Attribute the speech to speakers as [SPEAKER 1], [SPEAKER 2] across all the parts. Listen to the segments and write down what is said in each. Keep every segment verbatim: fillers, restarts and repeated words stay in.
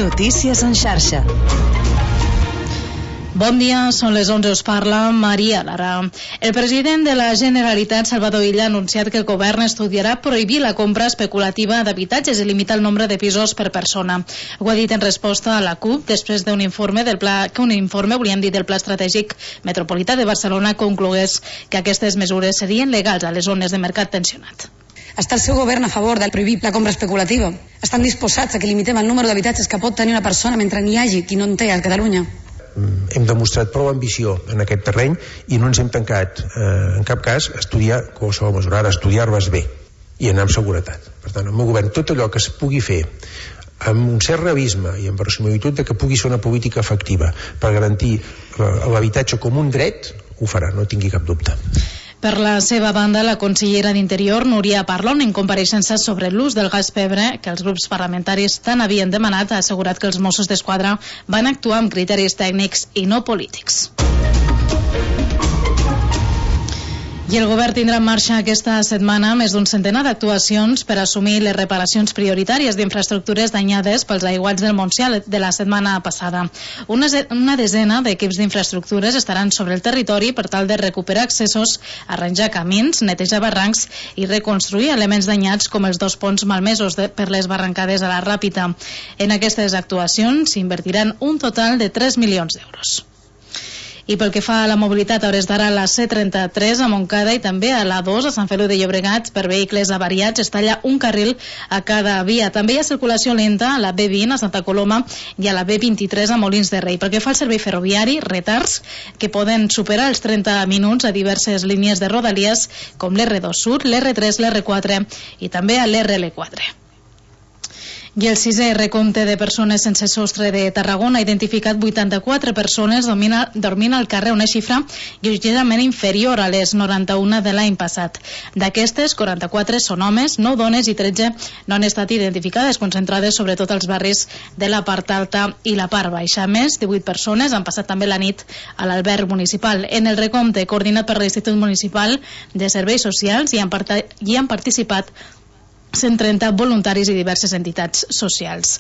[SPEAKER 1] Notícies en xarxa.
[SPEAKER 2] Bon dia, són les onze, us parla Maria Lara. El president de la Generalitat, Salvador Illa, ha anunciat que el govern estudiarà prohibir la compra especulativa d'habitatges i limitar el nombre de pisos per persona. Ho ha dit en resposta a la CUP després d'un informe del pla, que un informe, volíem dir, del Pla Estratègic Metropolità de Barcelona conclogués que aquestes mesures serien legals a les zones de mercat tensionat.
[SPEAKER 3] Està el seu govern a favor de prohibir la compra especulativa? Estan disposats a que limitem el número d'habitatges que pot tenir una persona mentre n'hi hagi qui no en té a Catalunya?
[SPEAKER 4] Hem demostrat prou ambició en aquest terreny i no ens hem tancat eh, en cap cas a estudiar qualsevol mesura, ara estudiar-les bé i anar amb seguretat. Per tant, el meu govern, tot allò que es pugui fer amb un cert realisme i amb verosimilitud de que pugui ser una política efectiva per garantir l'habitatge com un dret, ho farà, no tingui cap dubte.
[SPEAKER 2] Per la seva banda, la consellera d'Interior, Núria Parlon, en compareixença sobre l'ús del gas pebre que els grups parlamentaris tant havien demanat, ha assegurat que els Mossos d'Esquadra van actuar amb criteris tècnics i no polítics. I el govern tindrà en marxa aquesta setmana més d'un centenar d'actuacions per assumir les reparacions prioritàries d'infraestructures danyades pels aiguats del Montsià de la setmana passada. Una, una desena d'equips d'infraestructures estaran sobre el territori per tal de recuperar accessos, arranjar camins, netejar barrancs i reconstruir elements danyats com els dos ponts malmesos de, per les barrancades a la Ràpita. En aquestes actuacions s'invertiran un total de tres milions d'euros. I pel que fa a la mobilitat, a hores d'ara a la C trenta-tres a Montcada i també a l'A dos a Sant Feliu de Llobregat per vehicles avariats es talla un carril a cada via. També hi ha circulació lenta a la B vint a Santa Coloma i a la B vint-i-tres a Molins de Rei. Pel que fa al servei ferroviari, retards que poden superar els trenta minuts a diverses línies de rodalies com l'R dos Sud, l'R tres, l'R quatre i també a l'R L quatre. I el sisè recompte de persones sense sostre de Tarragona ha identificat vuitanta-quatre persones domina, dormint al carrer, una xifra lleugerament inferior a les noranta-una de l'any passat. D'aquestes, quaranta-quatre són homes, nou dones i tretze no han estat identificades, concentrades sobretot als barris de la part alta i la part baixa. A més, divuit persones han passat també la nit a l'alberg municipal. En el recompte, coordinat per l'Institut Municipal de Serveis Socials, hi han, part hi han participat cent trenta voluntaris i diverses entitats socials.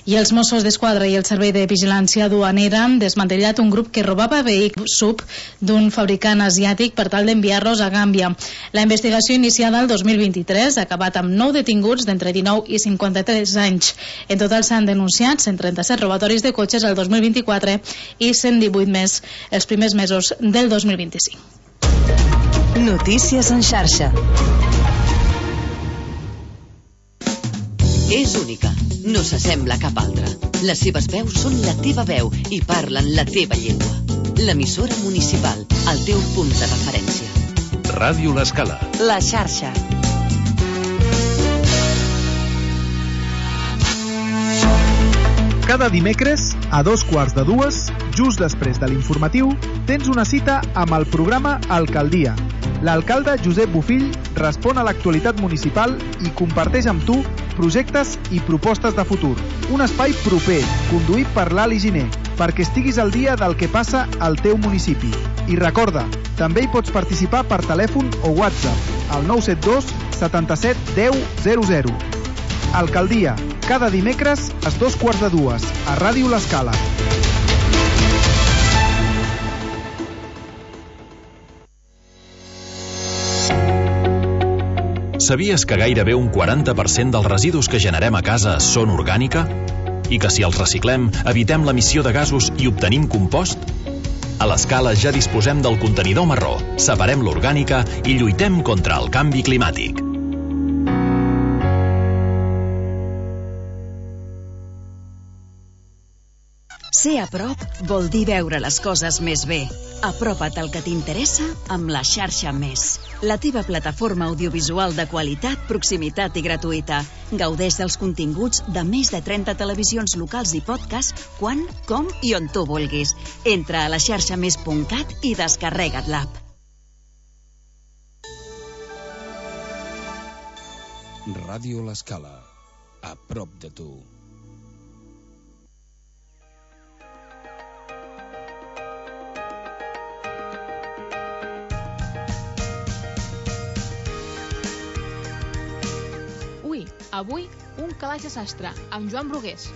[SPEAKER 2] I els Mossos d'Esquadra i el Servei de Vigilància Duanera han desmantellat un grup que robava vehicles sub d'un fabricant asiàtic per tal d'enviar-los a Gàmbia. La investigació iniciada el dos mil vint-i-tres ha acabat amb nou detinguts d'entre dinou i cinquanta-tres anys. En total s'han denunciat cent trenta-set robatoris de cotxes el dos mil vint-i-quatre i cent divuit més els primers mesos del dos mil vint-i-cinc.
[SPEAKER 1] Notícies en xarxa.
[SPEAKER 5] És única, no s'assembla a cap altra. Les seves veus són la teva veu i parlen la teva llengua. L'emissora municipal, el teu punt de referència.
[SPEAKER 6] Ràdio L'Escala.
[SPEAKER 1] La xarxa.
[SPEAKER 7] Cada dimecres, a dos quarts de dues, just després de l'informatiu, tens una cita amb el programa Alcaldia. L'alcalde Josep Bofill respon a l'actualitat municipal i comparteix amb tu projectes i propostes de futur. Un espai proper, conduït per l'Ali Giner, perquè estiguis al dia del que passa al teu municipi. I recorda, també hi pots participar per telèfon o WhatsApp al nou set dos setanta-set deu zero zero. Alcaldia, cada dimecres a dos quarts de dues, a Ràdio L'Escala.
[SPEAKER 6] Sabies que gairebé un quaranta per cent dels residus que generem a casa són orgànica? I que si els reciclem, evitem l'emissió de gasos i obtenim compost? A l'Escala ja disposem del contenidor marró, separem l'orgànica i lluitem contra el canvi climàtic.
[SPEAKER 8] Ser a prop vol dir veure les coses més bé. Apropa't al que t'interessa amb la xarxa Més. La teva plataforma audiovisual de qualitat, proximitat i gratuïta. Gaudeix dels continguts de més de trenta televisions locals i podcast quan, com i on tu vulguis. Entra a la xarxa més punt cat i descarrega't l'app.
[SPEAKER 9] Ràdio L'Escala. A prop de tu.
[SPEAKER 10] Avui, un calaix de sastre, amb Joan Brugués.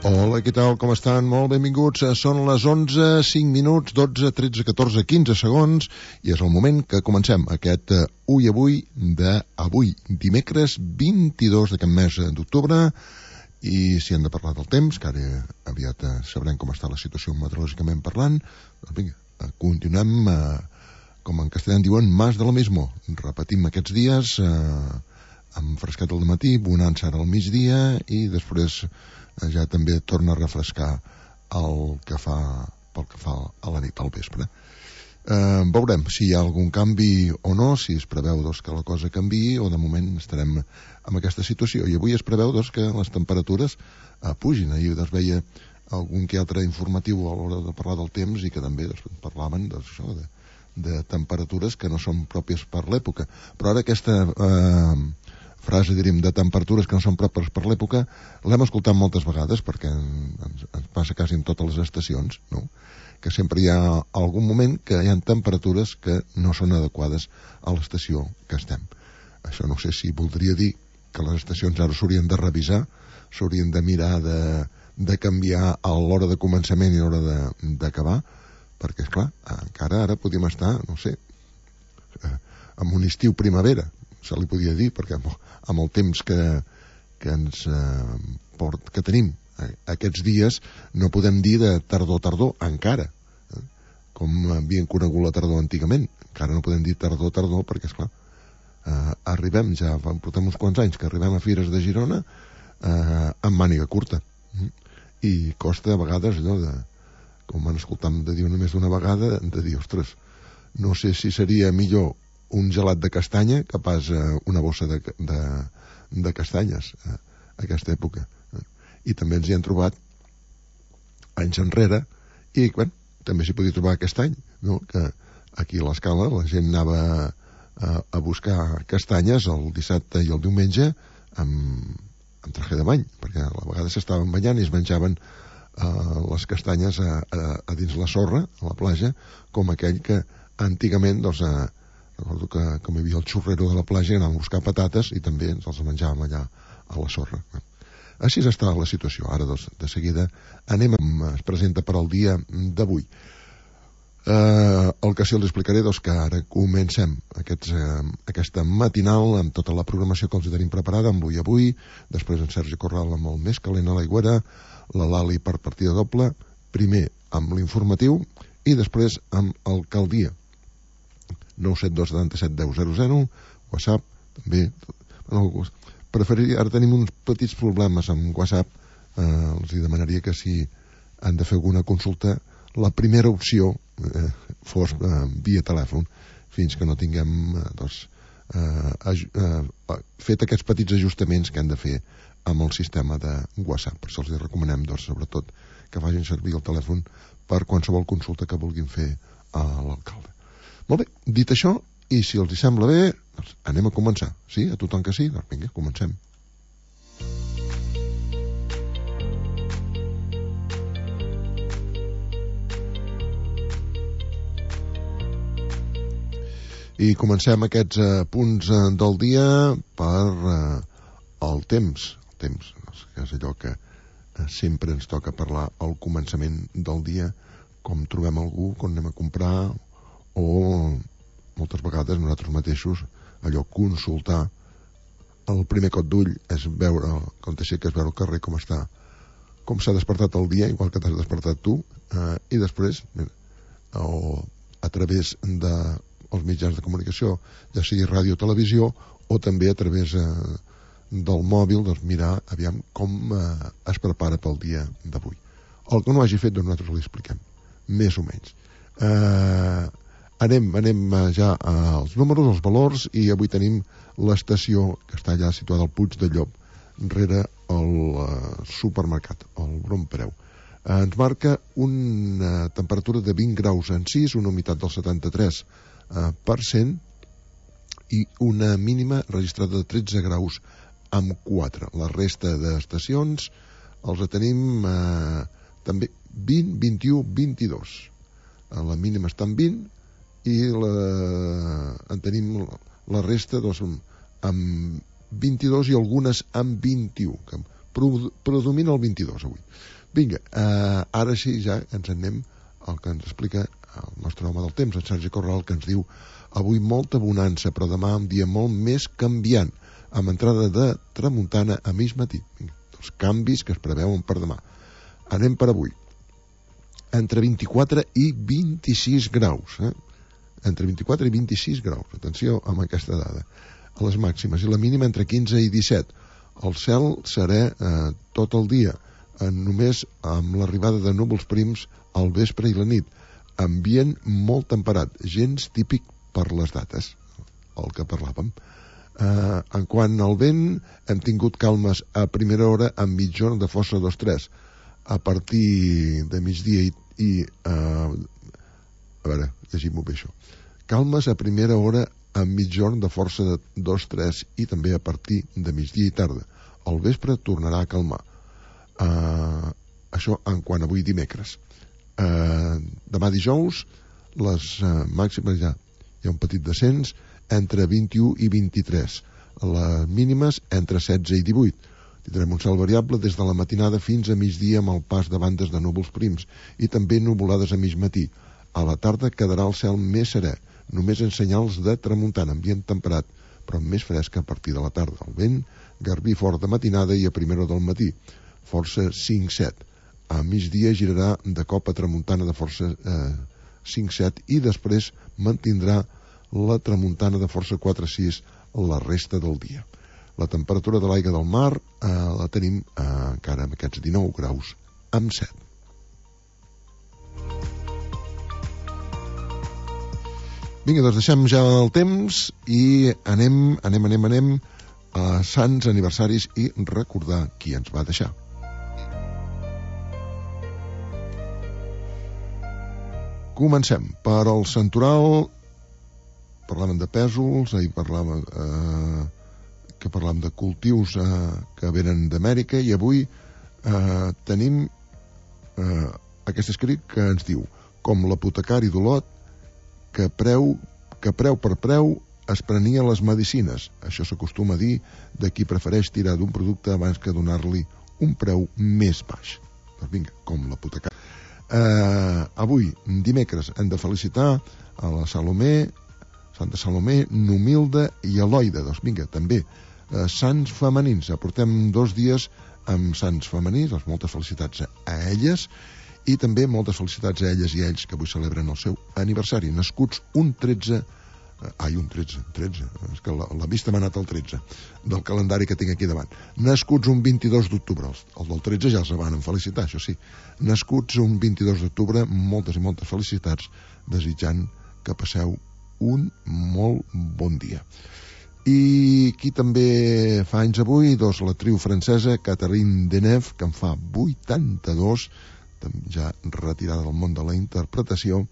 [SPEAKER 10] Hola, què tal, com estan? Molt benvinguts. Són les onze, cinc minuts, dotze, tretze, catorze, quinze segons i és el moment que comencem aquest uh, Ui Avui d'avui, dimecres vint-i-dos d'aquest mes d'octubre. I si hem de parlar del temps, que ara aviat uh, sabrem com està la situació meteorològicament parlant, doncs vinga, uh, continuem, uh, com en castellà en diuen, más de lo mismo. Repetim aquests dies uh, amb frescat al matí, bonança ara al migdia i després ja també torna a refrescar el que fa, pel que fa a la nit, al vespre. Eh, veurem si hi ha algun canvi o no, si es preveu doncs, que la cosa canviï o de moment estarem en aquesta situació. I avui es preveu doncs, que les temperatures eh, pugin. Ahir doncs, veia algun que altre informatiu a l'hora de parlar del temps i que també doncs, parlaven doncs, això, de, de temperatures que no són pròpies per l'època. Però ara aquesta Eh, frase, diríem, de temperatures que no són pròpies per l'època, l'hem escoltat moltes vegades perquè ens, ens passa quasi en totes les estacions, no? Que sempre hi ha algun moment que hi ha temperatures que no són adequades a l'estació que estem. Això no sé si voldria dir que les estacions ara s'haurien de revisar, s'haurien de mirar de, de canviar a l'hora de començament i a l'hora d'acabar, perquè, esclar, encara ara podríem estar, no sé, en un estiu primavera, se li podia dir, perquè amb, amb el temps que, que ens eh, port, que tenim eh, aquests dies no podem dir de tardor-tardor encara, eh, com havien conegut la tardor antigament. Encara no podem dir tardor-tardor perquè, esclar, eh, arribem, ja portem uns quants anys que arribem a Fires de Girona eh, amb màniga curta, eh, i costa a vegades allò de, com van escoltar de dir només d'una vegada, de dir, ostres, no sé si seria millor un gelat de castanya que pas eh, una bossa de, de, de castanyes eh, a aquesta època. Eh. I també ens hi hem trobat anys enrere i, bueno, també s'hi podia trobar aquest any, no? Que aquí a l'Escala la gent anava a, a buscar castanyes el dissabte i el diumenge amb, amb traje de bany, perquè a la vegada s'estaven banyant i es menjaven eh, les castanyes a, a, a dins la sorra, a la platja, com aquell que antigament, doncs, a recordo que com hi havia el xurrero de la platja anàvem a buscar patates i també ens els menjàvem allà a la sorra. Així està la situació. Ara doncs, de seguida anem, es presenta per al dia d'avui. Eh, el que sí els explicaré doncs, que ara comencem aquests, eh, aquesta matinal amb tota la programació que els tenim preparada amb l'Ui Avui, després en Sergi Corral amb el Més Calent a l'Aigüera, la Lali per partida doble, primer amb l'informatiu i després amb el Caldia. nou set dos setanta set deu zero zero, WhatsApp també. Bueno, preferiria, ara tenim uns petits problemes amb WhatsApp, eh, els hi demanaria que si han de fer alguna consulta la primera opció eh, fos eh, via telèfon, fins que no tinguem eh, doncs, eh, eh, fet aquests petits ajustaments que han de fer amb el sistema de WhatsApp. Per això els recomanem doncs, sobretot que facin servir el telèfon per qualsevol consulta que vulguin fer a l'alcalde. Molt bé, dit això, i si els hi sembla bé, doncs anem a començar. Sí? A tothom que sí? Doncs vinga, comencem. I comencem aquests eh, punts eh, del dia per eh, el temps. El temps, que és allò que eh, sempre ens toca parlar al començament del dia, com trobem algú, quan anem a comprar, o moltes vegades nosaltres mateixos allò consultar el primer cop d'ull és veure com t'aixeques, veure el carrer com està, com s'ha despertat el dia, igual que t'has despertat tu, eh, i després mira, o a través dels mitjans de comunicació, ja sigui ràdio o televisió, o també a través eh, del mòbil, doncs mirar aviam com eh, es prepara pel dia d'avui. El que no hagi fet, doncs nosaltres li expliquem més o menys. eh Anem, anem ja als números, als valors, i avui tenim l'estació que està allà situada al Puig de Llop, rere el uh, supermercat, el Bon Preu. Uh, ens marca una temperatura de vint graus en sis, una humitat del setanta-tres per cent i una mínima registrada de tretze graus amb quatre. La resta d'estacions els tenim uh, també vint, vint-i-u, vint-i-dos. Uh, la mínima està en vint, i la, en tenim la resta doncs, amb vint-i-dos i algunes amb vint-i-u, que predomina el vint-i-dos avui. Vinga, eh, ara sí ja ens en anem al que ens explica el nostre home del temps, en Sergi Corral, que ens diu avui molta bonança, però demà un dia molt més canviant, amb entrada de tramuntana a mig matí. Vinga, els canvis que es preveuen per demà. Anem per avui. Entre vint-i-quatre i vint-i-sis graus. Eh? Entre vint-i-quatre i vint-i-sis graus. Atenció amb aquesta dada. A les màximes. I la mínima entre quinze i disset. El cel serà eh, tot el dia, eh, només amb l'arribada de núvols prims al vespre i la nit. Ambient molt temperat, gens típic per les dates, el que parlàvem. Uh, en quant al vent, hem tingut calmes a primera hora amb mitjorn de força dos tres. A partir de migdia i... i uh, a veure, llegim-ho bé això. Calmes a primera hora amb mitjorn de força de dos tres i també a partir de migdia i tarda. Al vespre tornarà a calmar. Uh, això en quant avui dimecres. Uh, demà dijous, les uh, màximes ja hi ha un petit descens entre vint-i-u i vint-i-tres, les mínimes entre setze i divuit. Tindrem un cel variable des de la matinada fins a migdia amb el pas de bandes de núvols prims i també nuvolades a mig matí. A la tarda quedarà el cel més serè, només en senyals de tramuntana, ambient temperat, però més fresc a partir de la tarda. El vent, garbí fort de matinada i a primera hora del matí, força cinc set. A migdia girarà de cop a tramuntana de força eh, cinc set i després mantindrà la tramuntana de força quatre sis la resta del dia. La temperatura de l'aigua del mar eh, la tenim eh, encara amb aquests dinou graus amb set. Vinga, doncs deixem ja el temps i anem, anem, anem, anem a sants aniversaris i recordar qui ens va deixar. Comencem per al santoral. Parlàvem de pèsols, ahir parlàvem eh, que parlàvem de cultius eh, que venen d'Amèrica i avui eh, tenim eh, aquest escrit que ens diu: com l'apotecari d'Olot que preu, que preu per preu es prenia les medicines. Això s'acostuma a dir de qui prefereix tirar d'un producte abans que donar-li un preu més baix. Doncs vinga, com l'apotecari. Eh, avui, dimecres, hem de felicitar a la Salomé, Santa Salomé, Numilda i Eloida. Doncs vinga, també eh, sants femenins. Aportem dos dies amb sants femenins, doncs moltes felicitats a elles i també moltes felicitats a elles i ells que avui celebren el seu aniversari. Nascuts un tretze, eh, ai, un tretze, tretze, és que la, la vista m'ha anat al tretze del calendari que tinc aquí davant. Nascuts un vint-i-dos d'octubre, el, el del tretze ja els van felicitar, això sí. Nascuts un vint-i-dos d'octubre, moltes i moltes felicitats, desitjant que passeu un molt bon dia. I qui també fa anys avui, doncs la triu francesa Catherine Deneuve, que en fa vuitanta-dos, ja retirada del món de la interpretació,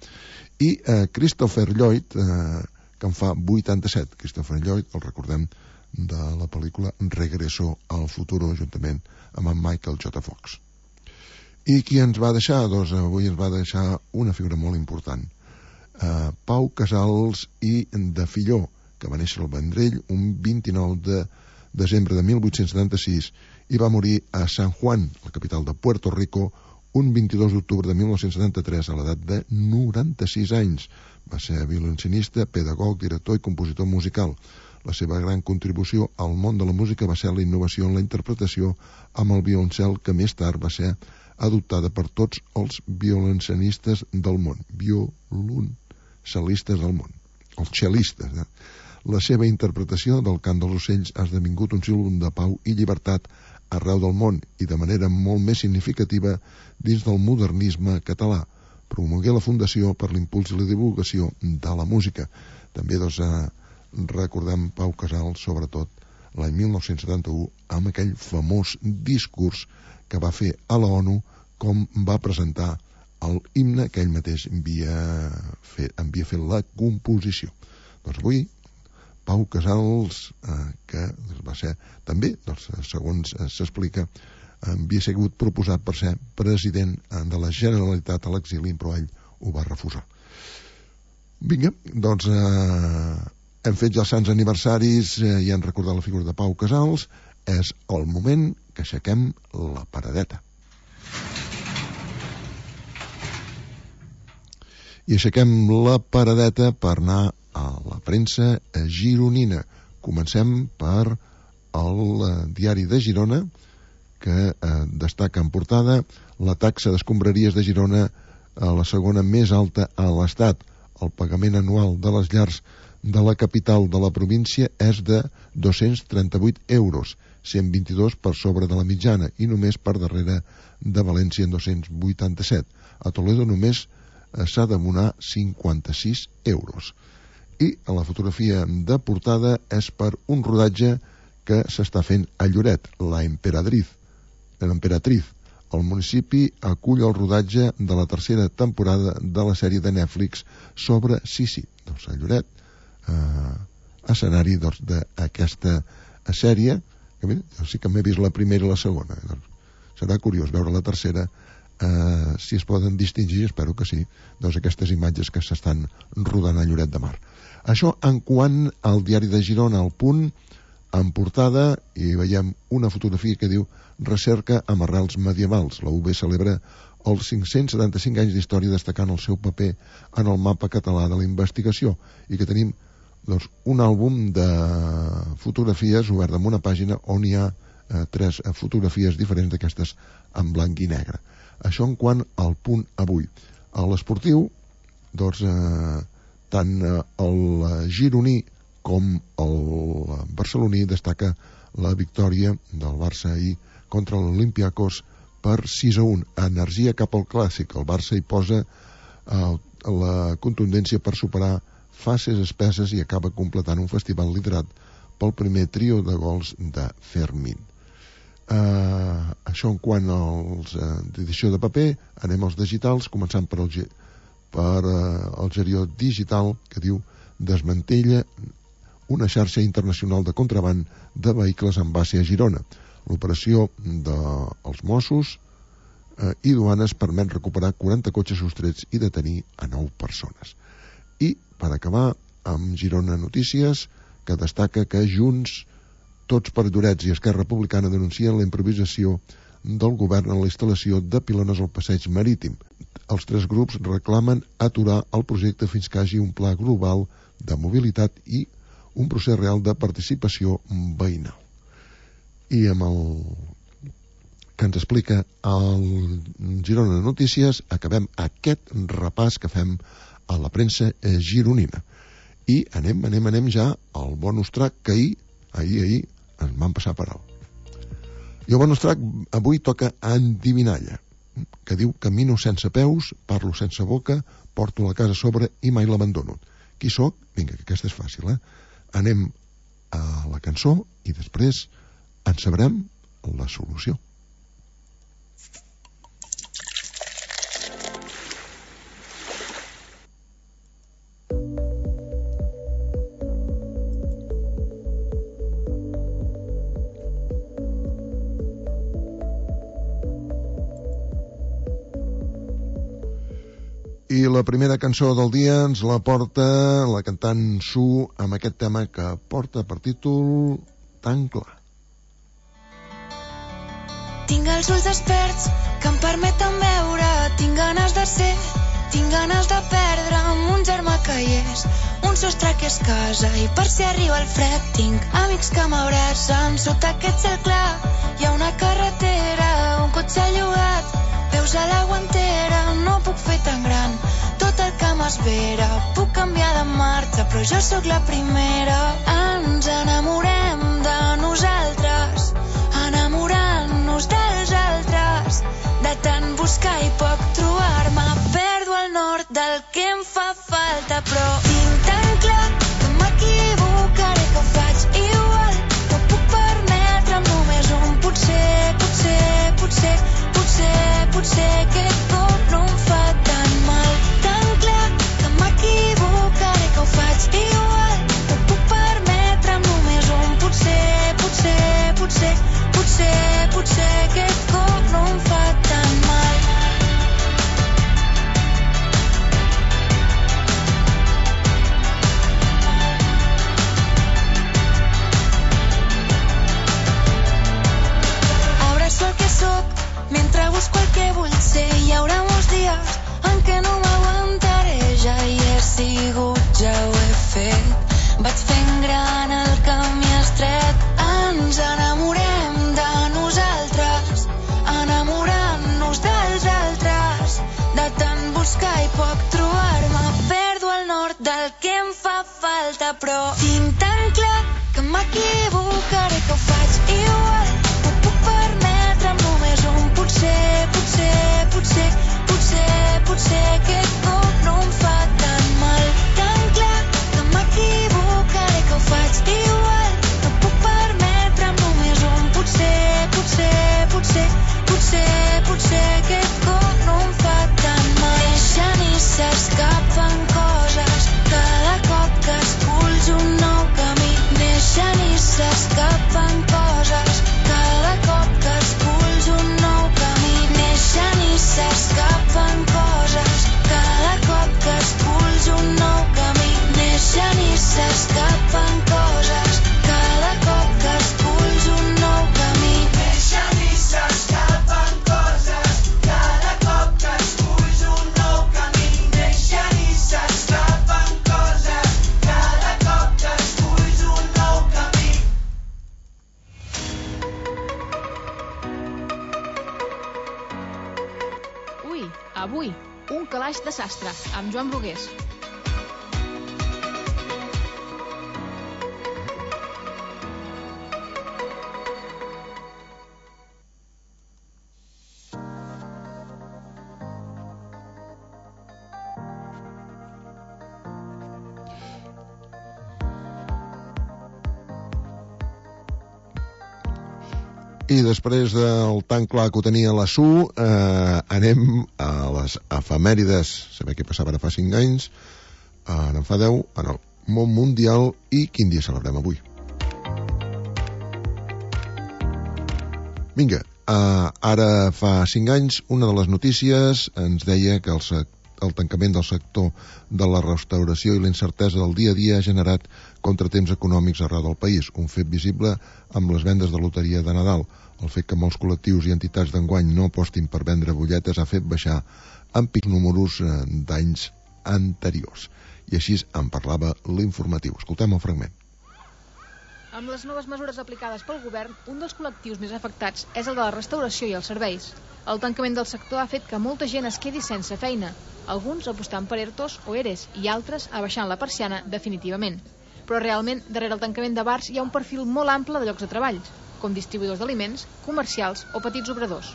[SPEAKER 10] i eh, Christopher Lloyd, eh, que en fa vuitanta-set. Christopher Lloyd, el recordem de la pel·lícula Regreso al futuro, juntament amb en Michael J. Fox. I qui ens va deixar? Doncs avui ens va deixar una figura molt important. Uh, Pau Casals i de Filló, que va néixer al Vendrell un vint-i-nou de desembre de mil vuit-cents setanta-sis i va morir a San Juan, la capital de Puerto Rico, un vint-i-dos d'octubre de mil nou-cents setanta-tres a l'edat de noranta-sis anys. Va ser violoncinista, pedagog, director i compositor musical. La seva gran contribució al món de la música va ser la innovació en la interpretació amb el violoncel, que més tard va ser adoptada per tots els violoncelistes del món. Violoncelistes del món. Els cellistes. Eh? La seva interpretació del cant dels ocells ha esdevingut un símbol de pau i llibertat arreu del món i de manera molt més significativa dins del modernisme català. Promogué la Fundació per l'impuls i la divulgació de la música. També doncs, eh, recordem Pau Casals, sobretot l'any mil nou-cents setanta-u, amb aquell famós discurs que va fer a la ONU, com va presentar el himne que ell mateix havia fet, havia fet la composició. Doncs avui, Pau Casals, eh, que va ser també, doncs, segons s'explica, havia sigut proposat per ser president de la Generalitat a l'exili, però ell ho va refusar. Vinga, doncs eh, hem fet ja els sants aniversaris eh, i hem recordat la figura de Pau Casals. és el moment que aixequem la paradeta. I aixequem la paradeta per anar a la premsa gironina. Comencem per el diari de Girona, que eh, destaca en portada la taxa d'escombraries de Girona a la segona més alta a l'Estat. El pagament anual de les llars de la capital de la província és de dos-cents trenta-vuit euros, cent vint-i-dos per sobre de la mitjana i només per darrere de València en dos-cents vuitanta-set. A Toledo només eh, s'ha d'abonar cinquanta-sis euros. I a la fotografia de portada és per un rodatge que s'està fent a Lloret, la Emperatriz. l'Emperatriz. El municipi acull el rodatge de la tercera temporada de la sèrie de Netflix sobre Sisi. Doncs a Lloret, eh, escenari doncs, d'aquesta sèrie, que mira, jo sí que m'he vist la primera i la segona. Doncs, serà curiós veure la tercera, eh, si es poden distingir, espero que sí, doncs aquestes imatges que s'estan rodant a Lloret de Mar. Això en quant al diari de Girona, al Punt, en portada, i veiem una fotografia que diu Recerca amb arrels medievals. La U B celebra els cinc-cents setanta-cinc anys d'història destacant el seu paper en el mapa català de la investigació, i que tenim doncs, un àlbum de fotografies obert en una pàgina on hi ha eh, tres fotografies diferents d'aquestes en blanc i negre. Això en quant al Punt avui. A l'esportiu, doncs, eh, tant eh, el gironí com el barceloní destaca la victòria del Barça ahir contra l'Olympiacos per sis a un. Energia cap al clàssic. El Barça hi posa eh, la contundència per superar fases espesses i acaba completant un festival liderat pel primer trio de gols de Fermín. Eh, això en quant als eh, d'edició de paper. Anem als digitals, començant per el, per, eh, el Gerió Digital, que diu desmantella una xarxa internacional de contraban de vehicles en base a Girona. L'operació dels Mossos eh, i duanes permet recuperar quaranta cotxes sostrets i detenir a nou persones. I, per acabar, amb Girona Notícies, que destaca que Junts, Tots per Llorets i Esquerra Republicana denuncien la improvisació del govern en la instal·lació de pilones al passeig marítim. Els tres grups reclamen aturar el projecte fins que hi hagi un pla global de mobilitat i un procés real de participació veïnal. I amb el que ens explica el Girona Notícies acabem aquest repàs que fem a la premsa gironina. I anem, anem, anem ja al bonus track que ahir, ahir, ahir, ens van passar per alt. I el bonus track avui toca Endivinalla, que diu camino sense peus, parlo sense boca, porto la casa a sobre i mai l'abandono. Qui sóc? Vinga, que aquesta és fàcil, eh? Anem a la cançó i després en sabrem la solució. I la primera cançó del dia ens la porta la cantant Su amb aquest tema que porta per títol Tan clar.
[SPEAKER 11] Tinc els ulls desperts que em permeten veure, tinc ganes de ser, tinc ganes de perdre amb un germà que hi és, un sostre que és casa i per si arriba el fred tinc amics que m'abracen sota aquest cel clar. Hi ha una carretera, un cotxe llogat, veus a la guantera, no puc fer tan gran tot el que m'espera. Puc canviar de marxa, però jo sóc la primera. Ens enamorem de nosaltres, enamorant-nos dels altres, de tant buscar i poc trobar-me. Perdo el nord del que em fa falta, però tinc tan clar que m'equivocaré, que ho faig igual. No puc permetre'm només un potser, potser, potser, potser, potser aquest cop no em fa tan mal. Tan clar que m'equivocaré, que ho faig igual. No puc permetre'm només un potser, potser, potser, potser, potser aquest cop no em fa tan mal. falta, però tinc tan clar que m'equivocaré, que ho faig igual. No puc permetre'm només un potser, potser, potser, potser, potser aquest cop no em fa tan mal. Tan clar que m'equivocaré, que ho faig igual. No puc permetre'm només un potser, potser, potser, potser, potser aquest cop no em fa tan mal. Neixen i s'escapen coses cada cop que esculls un nou camí. Neixen i s'escapen coses cada cop que esculls un nou camí. Neixen i s'escapen coses cada cop que esculls un nou camí. Neixen i s'escapen coses cada cop que esculls un nou camí. Neixen i s'escapen coses cada cop que esculls un nou camí. Neixen i s'escapen coses cada cop que esculls un nou camí.
[SPEAKER 12] Ui, avui, un calaix de sastre, amb Joan Brugués.
[SPEAKER 10] I després del tan clar que ho tenia la Su, eh, anem a les efemèrides. Saber què passava ara fa cinc anys, ara en fa deu, en el món mundial, i quin dia celebrem avui. Vinga, eh, ara fa cinc anys, una de les notícies ens deia que el, el tancament del sector de la restauració i la incertesa del dia a dia ha generat contratemps econòmics arreu del país, un fet visible amb les vendes de loteria de Nadal. El fet que molts col·lectius i entitats d'enguany no apostin per vendre butlletes ha fet baixar en pics números d'anys anteriors. I així en parlava l'informatiu. Escoltem el fragment.
[SPEAKER 12] Amb les noves mesures aplicades pel govern, un dels col·lectius més afectats és el de la restauració i els serveis. El tancament del sector ha fet que molta gent es quedi sense feina, alguns apostant per ERTOs o ERES i altres abaixant la persiana definitivament. Però realment, darrere el tancament de bars hi ha un perfil molt ample de llocs de treball, com distribuïdors d'aliments, comercials o petits obradors.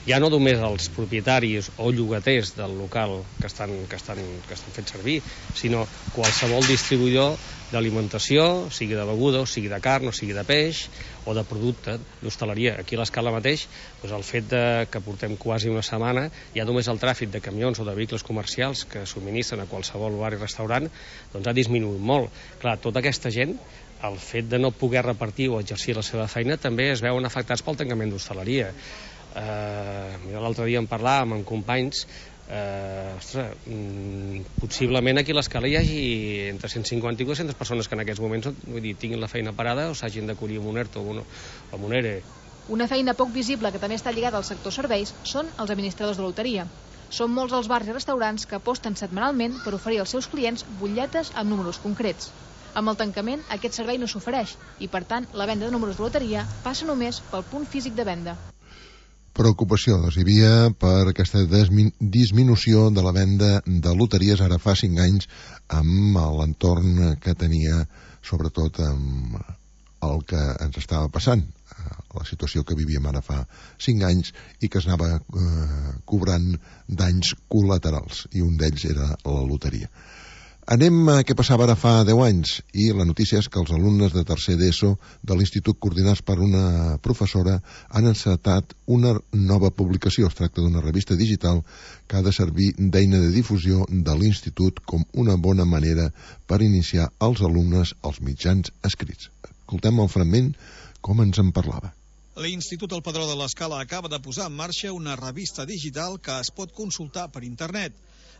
[SPEAKER 13] Ja no només els propietaris o llogaters del local que estan, que estan, que estan fent servir, sinó qualsevol distribuïdor d'alimentació, sigui de beguda, o sigui de carn, o sigui de peix, o de producte d'hostaleria. Aquí a l'Escala mateix, doncs el fet de, que portem quasi una setmana, ja només el tràfic de camions o de vehicles comercials que subministren a qualsevol bar i restaurant doncs ha disminuït molt. Clar, tota aquesta gent, el fet de no poder repartir o exercir la seva feina també es veuen afectats pel tancament d'hostaleria. Eh, l'altre dia en parlàvem amb companys, eh, ostres, mm, possiblement aquí a l'Escala hi hagi entre cent cinquanta i dues-centes persones que en aquests moments vull dir, tinguin la feina parada o s'hagin d'acollir amb un ERTO o amb un ERE.
[SPEAKER 12] Una feina poc visible que també està lligada al sector serveis són els administradors de loteria. Són molts els bars i restaurants que aposten setmanalment per oferir als seus clients butlletes amb números concrets. Amb el tancament, aquest servei no s'ofereix i, per tant, la venda de números de loteria passa només pel punt físic de venda.
[SPEAKER 10] Preocupació doncs, hi havia per aquesta disminució de la venda de loteries ara fa cinc anys amb l'entorn que tenia, sobretot amb el que ens estava passant, la situació que vivíem ara fa cinc anys i que es anava eh, cobrant danys col·laterals, i un d'ells era la loteria. Anem a què passava ara fa deu anys, i la notícia és que els alumnes de tercer d'ESO de l'Institut, coordinats per una professora, han encetat una nova publicació. Es tracta d'una revista digital que ha de servir d'eina de difusió de l'Institut com una bona manera per iniciar els alumnes als mitjans escrits. Escoltem el fragment com ens en parlava.
[SPEAKER 14] L'Institut El Padró de l'Escala acaba de posar en marxa una revista digital que es pot consultar per internet.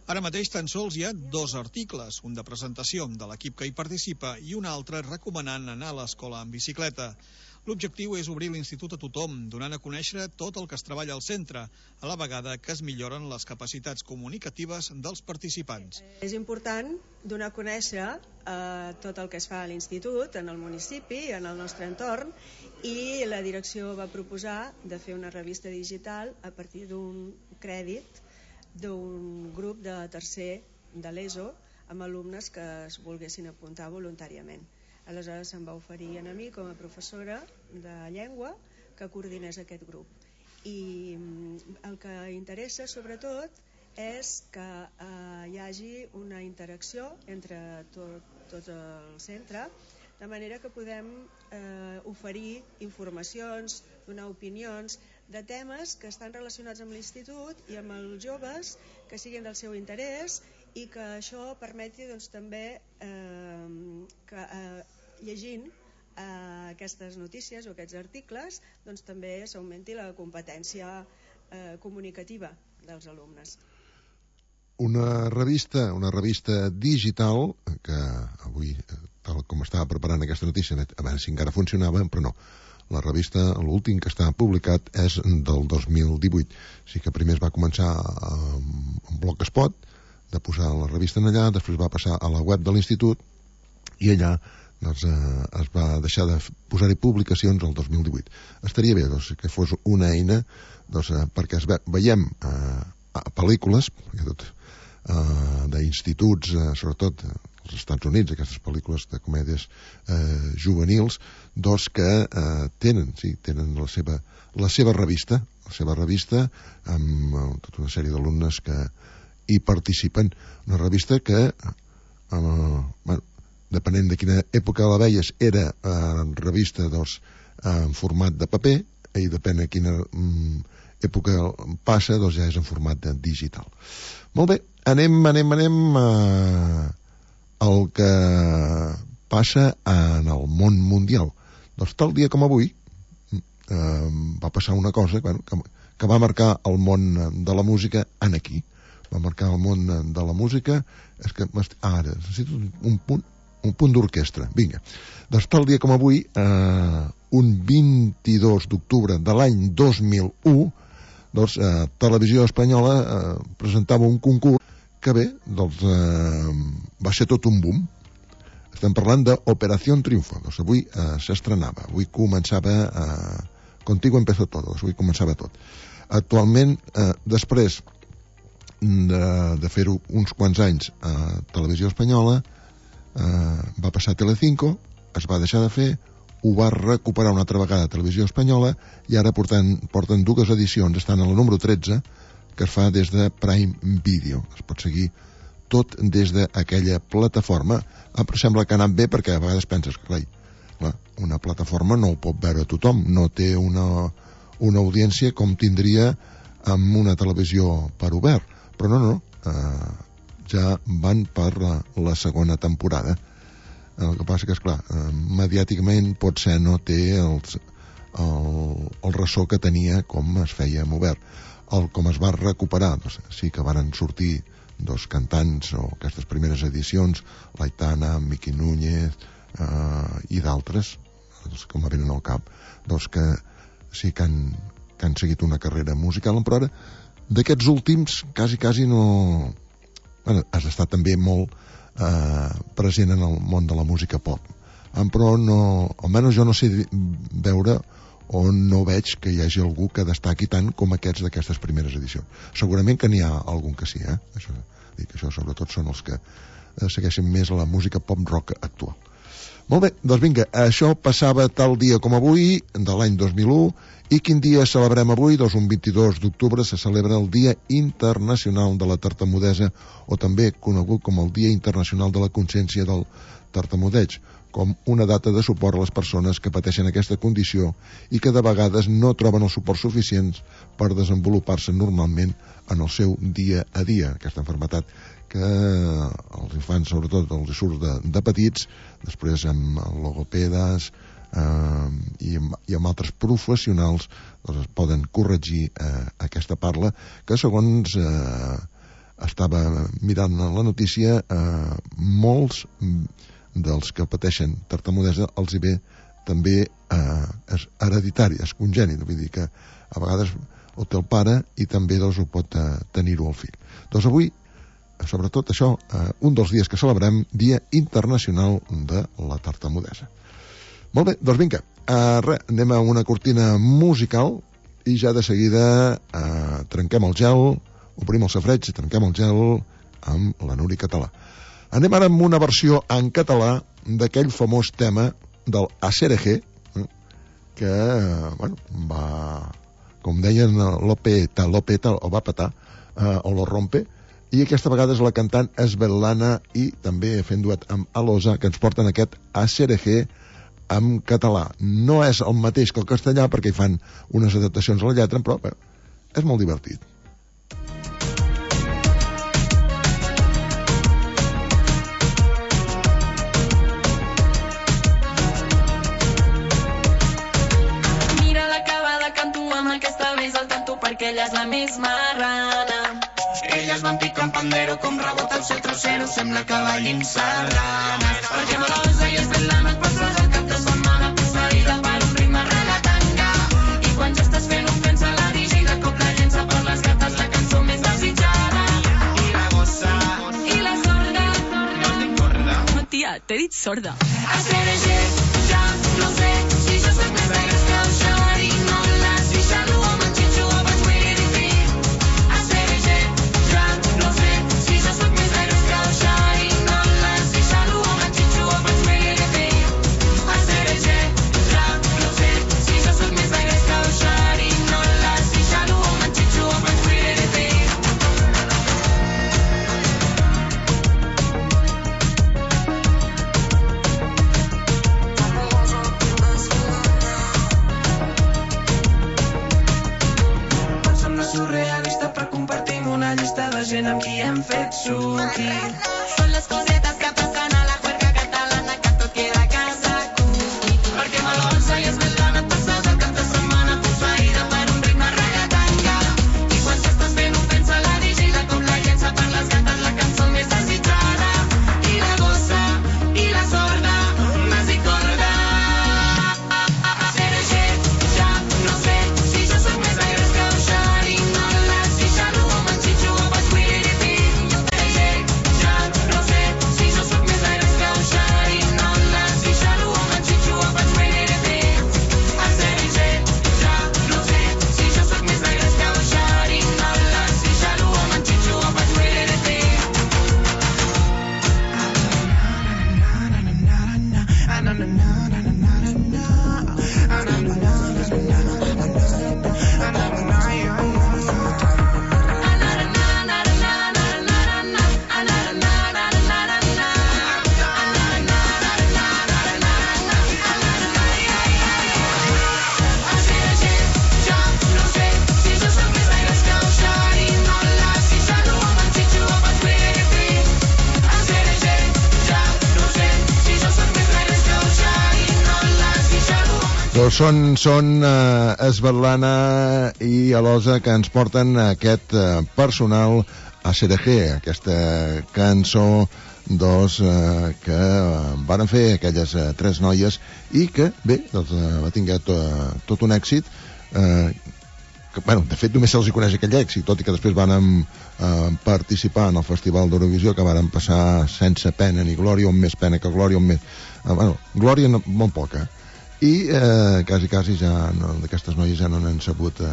[SPEAKER 14] Ara mateix tan sols hi ha dos articles, un de presentació de l'equip que hi participa i un altre recomanant anar a l'escola en bicicleta. L'objectiu és obrir l'institut a tothom, donant a conèixer tot el que es treballa al centre, a la vegada que es milloren les capacitats comunicatives dels participants.
[SPEAKER 15] És important donar a conèixer eh, tot el que es fa a l'institut, en el municipi, en el nostre entorn, i la direcció va proposar de fer una revista digital a partir d'un crèdit d'un grup de tercer de l'ESO amb alumnes que es volguessin apuntar voluntàriament. Aleshores se'm va oferir a mi com a professora de llengua que coordinés aquest grup. I el que interessa sobretot és que eh, hi hagi una interacció entre tot, tot el centre, de manera que podem eh, oferir informacions, donar opinions de temes que estan relacionats amb l'institut i amb els joves que siguin del seu interès, i que això permeti doncs, també eh, que eh, llegint eh, aquestes notícies o aquests articles doncs, també s'augmenti la competència eh, comunicativa dels alumnes.
[SPEAKER 10] Una revista, una revista digital que avui, tal com estava preparant aquesta notícia, a veure si encara funcionava, però no. La revista, l'últim que està publicat és del dos mil divuit. O sigui que primer es va començar amb Blogspot, de posar la revista en allà, després va passar a la web de l'institut i allà doncs, eh, es va deixar de posar-hi publicacions el dos mil divuit. Estaria bé doncs, que fos una eina doncs, eh, perquè es ve, veiem eh, pel·lícules, perquè tot Uh, d'instituts, uh, sobretot uh, als Estats Units, aquestes pel·lícules de comèdies uh, juvenils, doncs que uh, tenen, sí, tenen la seva, la seva revista, la seva revista amb uh, tota una sèrie d'alumnes que hi participen. Una revista que, uh, bueno, depenent de quina època la veies, era uh, revista doncs, uh, en format de paper, i depèn de quina um, època passa, doncs ja és en format de digital. Molt bé, anem, anem, anem a el que passa en el món mundial. Doncs tal dia com avui eh, va passar una cosa bueno, que, que va marcar el món de la música en aquí. Va marcar el món de la música. És que ara necessito un punt, un punt d'orquestra. Vinga. Doncs tal dia com avui, eh, un vint-i-dos d'octubre de l'any dos mil u, doncs, eh, Televisió Espanyola eh, presentava un concurs que bé, doncs, eh, va ser tot un boom. Estem parlant d'Operació Triunfo. Doncs avui eh, s'estrenava, avui començava eh, Contigo empezó todo, doncs avui començava tot. Actualment, eh, després de, de fer-ho uns quants anys a Televisió Espanyola, eh, va passar a Telecinco, es va deixar de fer, ho va recuperar una altra vegada a Televisió Espanyola i ara porten, porten dues edicions, estan a la número tretze, que es fa des de Prime Video. Es pot seguir tot des d'aquella plataforma. Em sembla que ha anat bé perquè a vegades penses que clar, una plataforma no ho pot veure tothom, no té una, una audiència com tindria amb una televisió per obert. Però no, no, eh, ja van per la, la segona temporada. El que passa que, esclar, eh, mediàticament potser no té els, el, el ressò que tenia com es feia en obert. El, com es va recuperar, doncs, sí que varen sortir dos cantants o aquestes primeres edicions, l'Aitana, Miqui Núñez eh, i d'altres, doncs, que me venen al cap, doncs que sí que han, que han seguit una carrera musical, però ara d'aquests últims quasi, quasi no... Bueno, has estat també molt Eh, present en el món de la música pop, eh, però no, almenys jo no sé veure o no veig que hi hagi algú que destaqui tant com aquests d'aquestes primeres edicions. Segurament que n'hi ha algun que sí, eh? Això, dic, això sobretot són els que eh, segueixen més la música pop rock actual. Molt bé, doncs vinga, això passava tal dia com avui, de l'any dos mil u, i quin dia celebrem avui? Doncs un vint-i-dos d'octubre se celebra el Dia Internacional de la Tartamudesa, o també conegut com el Dia Internacional de la Consciència del Tartamudeig, com una data de suport a les persones que pateixen aquesta condició i que de vegades no troben els suports suficients per desenvolupar-se normalment en el seu dia a dia, aquesta malaltia que els infants, sobretot, els surt de, de petits, després amb logopedes eh, i, amb, i amb altres professionals doncs es poden corregir eh, aquesta parla que, segons eh, estava mirant la notícia, eh, molts dels que pateixen tartamudesa els hi ve també eh, és hereditari, és congènit, vull dir que a vegades ho té el pare i també doncs, ho pot eh, tenir-ho el fill. Doncs avui, sobretot això, eh, un dels dies que celebrem, Dia Internacional de la Tartamudesa. Molt bé, doncs vinga, eh, res, anem a una cortina musical i ja de seguida eh, trenquem el gel, obrim el safreig i trenquem el gel amb la Núria Català. Anem ara amb una versió en català d'aquell famós tema del A C R G, eh, que, bueno, va, com deien, lo peta, lo peta, o va petar, eh, o lo rompe, i aquesta vegada és la cantant Svetlana i també fent duet amb Alosa, que ens porten aquest A C R G en català. No és el mateix que el castellà, perquè hi fan unes adaptacions a la lletra, però bé, és molt divertit.
[SPEAKER 16] Mira l'acabada, canto amb aquesta vez al tanto perquè ella és la més marrana. Elles van picant pandero com rebota el seu trocero, sembla que ballin sardanes. Perquè Malosa i Svetlana et passes el cap de setmana posseïda per un ritme regatanga. I quan ja estàs fent un pensa la dirigida, cop la llença per les gates la cançó més desitjada. I la gossa i la sorda. No et dic corda? No, tia, t'he dit sorda. A C R G, ja no sé si jo soc més negre que el xavari, no les vixalo amb en xitxo o vaig morir-hi. A C R G, ja no sé si jo soc més negre que el xavari, no les vixalo amb en xitxo o vaig morir-hi. A C R G, ja no sé si jo soc més negre que el xavari, no les vixalo amb en xitxo o vaig morir-hi. Surrealista, però compartim una llista de gent amb qui hem fet suqui. Són les cosetes que passen a la juerga catalana que tot queda a casa cuqui. Perquè Malosa i Svetlana et passes el cap de setmana posseïda per un ritme regatanga. I quan t'estàs fent un pensa la vigila com la llença per les gates la cançó més desitjada. I la gossa i la sorda, nas i corda. A C R G, ja no sé si jo soc més negre que el xari, no les vixalo amb en xitxo o vaig morir-hi. A C R G, ja no sé si jo soc més negre que el xari, no les vixalo amb en xitxo o vaig morir-hi. A C R G, ja no sé si jo soc més negre que el xari, no les vixalo amb en xitxo o vaig morir-hi.
[SPEAKER 10] Doncs són, són uh, Svetlana i Alosa que ens porten aquest uh, personal A C R G, aquesta cançó dos uh, que uh, van fer aquelles uh, tres noies i que, bé, doncs, uh, va tinguer to, uh, tot un èxit. Uh, que, bueno, de fet, només se'ls hi coneix aquell èxit, tot i que després van uh, participar en el Festival d'Eurovisió, que van passar sense pena ni glòria, o més pena que glòria, o més... Uh, bueno, glòria no, molt poca. I eh, quasi, quasi ja no, d'aquestes noies ja no n'han sabut eh,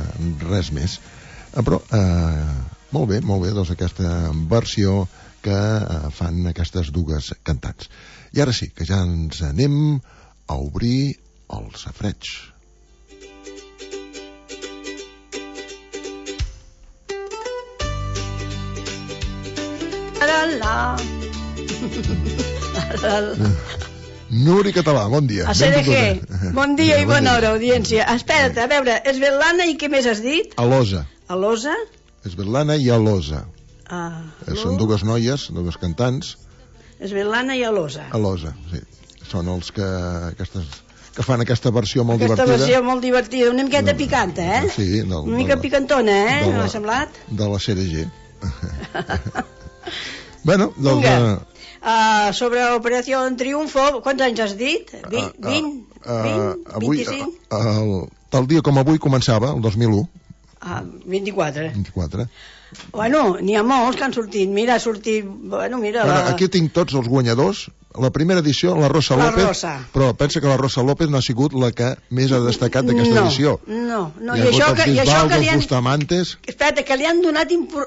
[SPEAKER 10] res més. Eh, però eh, molt bé, molt bé, doncs aquesta versió que eh, fan aquestes dues cantants. I ara sí, que ja ens anem a obrir el safareig.
[SPEAKER 17] La la la la.
[SPEAKER 10] Nuri Català, bon dia.
[SPEAKER 17] A C R G, bon dia i bona hora, audiència. Espera't, a veure, Svetlana i què més has dit?
[SPEAKER 10] Alosa.
[SPEAKER 17] Alosa?
[SPEAKER 10] Svetlana i Alosa.
[SPEAKER 17] Ah,
[SPEAKER 10] són dues noies, dues cantants.
[SPEAKER 17] Svetlana i Alosa.
[SPEAKER 10] Alosa, sí. Són els que, aquestes, que fan aquesta versió molt
[SPEAKER 17] aquesta
[SPEAKER 10] divertida.
[SPEAKER 17] Aquesta versió molt divertida, una miqueta picanta, eh?
[SPEAKER 10] Sí. Del,
[SPEAKER 17] una mica
[SPEAKER 10] de,
[SPEAKER 17] picantona, eh?
[SPEAKER 10] De la,
[SPEAKER 17] m'ha semblat?
[SPEAKER 10] De la C R G. Bueno, doncs...
[SPEAKER 17] Vinga. Uh, sobre Operació Triunfo, quants anys has dit? vint, vint,
[SPEAKER 10] uh, uh,
[SPEAKER 17] vint,
[SPEAKER 10] avui,
[SPEAKER 17] vint-i-cinc?
[SPEAKER 10] Uh, el, tal dia com avui començava, el dos mil u,
[SPEAKER 17] Ah, vint-i-quatre.
[SPEAKER 10] vint-i-quatre.
[SPEAKER 17] Bueno, n'hi ha molts que han sortit. Mira, ha sortit... Bueno, mira...
[SPEAKER 10] Bueno,
[SPEAKER 17] la...
[SPEAKER 10] aquí tinc tots els guanyadors. La primera edició, la Rosa
[SPEAKER 17] La
[SPEAKER 10] López,
[SPEAKER 17] Rosa.
[SPEAKER 10] però pensa que la Rosa López no ha sigut la que més ha destacat d'aquesta
[SPEAKER 17] no,
[SPEAKER 10] edició.
[SPEAKER 17] No, no,
[SPEAKER 10] Hi ha
[SPEAKER 17] i això
[SPEAKER 10] hagut
[SPEAKER 17] que,
[SPEAKER 10] els
[SPEAKER 17] i això que
[SPEAKER 10] Bisbaldos,
[SPEAKER 17] li han...
[SPEAKER 10] Bustamantes...
[SPEAKER 17] Espera, que li han donat impor...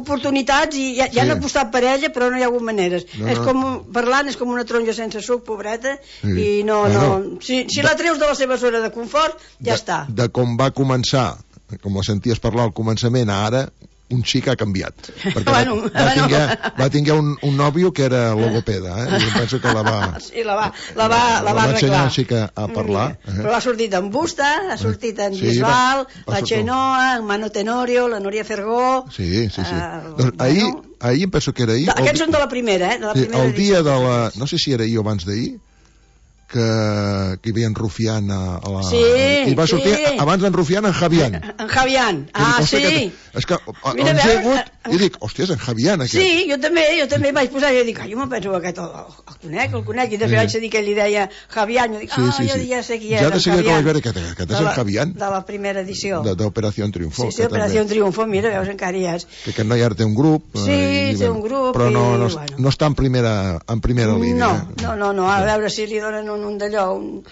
[SPEAKER 17] oportunitats i ja, ja
[SPEAKER 10] Sí.
[SPEAKER 17] han apostat per ella, però no hi ha hagut maneres.
[SPEAKER 10] No,
[SPEAKER 17] és
[SPEAKER 10] no.
[SPEAKER 17] com, parlant, és com una taronja sense suc, pobreta,
[SPEAKER 10] Sí.
[SPEAKER 17] i no,
[SPEAKER 10] Bueno,
[SPEAKER 17] no... Si, si la treus de la seva zona de confort, ja
[SPEAKER 10] de,
[SPEAKER 17] està.
[SPEAKER 10] De com va començar, com la senties parlar al començament, a ara, un xic ha canviat. Perquè
[SPEAKER 17] Bueno,
[SPEAKER 10] va, va, tinguer, va tinguer un, un nòvio que era logopeda, eh? I penso que la va...
[SPEAKER 17] Sí, la va, la va, la va
[SPEAKER 10] va ensenyar
[SPEAKER 17] arreglar.
[SPEAKER 10] així que a parlar. Eh?
[SPEAKER 17] Però ha sortit en Busta, ha sortit en
[SPEAKER 10] Sí,
[SPEAKER 17] Bisbal,
[SPEAKER 10] va- va
[SPEAKER 17] la
[SPEAKER 10] sortir-
[SPEAKER 17] Xenoa, en Mano Tenorio, la Núria Fergó...
[SPEAKER 10] Sí, sí, sí.
[SPEAKER 17] Uh,
[SPEAKER 10] doncs ahir, ahir em penso que era ahir...
[SPEAKER 17] De, aquests són de la primera, eh? De la
[SPEAKER 10] Sí,
[SPEAKER 17] primera
[SPEAKER 10] el dia
[SPEAKER 17] edició.
[SPEAKER 10] de la... No sé si era ahir o abans d'ahir, que, que hi havia en Rufián a, a la...
[SPEAKER 17] Sí,
[SPEAKER 10] i va sortir
[SPEAKER 17] sí.
[SPEAKER 10] abans d'en Rufián en Javián.
[SPEAKER 17] En Javián, ah,
[SPEAKER 10] dic,
[SPEAKER 17] sí.
[SPEAKER 10] Que, és que
[SPEAKER 17] Mira,
[SPEAKER 10] ens
[SPEAKER 17] a
[SPEAKER 10] he
[SPEAKER 17] veure,
[SPEAKER 10] hagut i dic, hòstia, és en Javián aquest.
[SPEAKER 17] Sí, jo també, jo també vaig posar, jo dic, ah, jo me'n penso que aquest el, el conec, el conec, i després
[SPEAKER 10] Sí.
[SPEAKER 17] vaig dir que li deia Javián, jo dic, ah,
[SPEAKER 10] Sí, sí,
[SPEAKER 17] jo
[SPEAKER 10] sí.
[SPEAKER 17] ja sé qui
[SPEAKER 10] Ja
[SPEAKER 17] és,
[SPEAKER 10] de
[SPEAKER 17] en
[SPEAKER 10] seguida que
[SPEAKER 17] Javián.
[SPEAKER 10] vaig veure que aquest és
[SPEAKER 17] De
[SPEAKER 10] en
[SPEAKER 17] la-
[SPEAKER 10] Javián,
[SPEAKER 17] De la primera edició.
[SPEAKER 10] de- d'Operació Triunfo.
[SPEAKER 17] Sí, sí,
[SPEAKER 10] que
[SPEAKER 17] Operació
[SPEAKER 10] també-
[SPEAKER 17] Triunfo, mira, veus, encara hi és.
[SPEAKER 10] que aquest noi ara té un grup.
[SPEAKER 17] Sí,
[SPEAKER 10] eh, i,
[SPEAKER 17] té un grup
[SPEAKER 10] Però no,
[SPEAKER 17] i,
[SPEAKER 10] no,
[SPEAKER 17] bueno.
[SPEAKER 10] no està en primera, en primera línia.
[SPEAKER 17] No,
[SPEAKER 10] eh?
[SPEAKER 17] no, no, no, a veure si li donen un, un d'allò, un,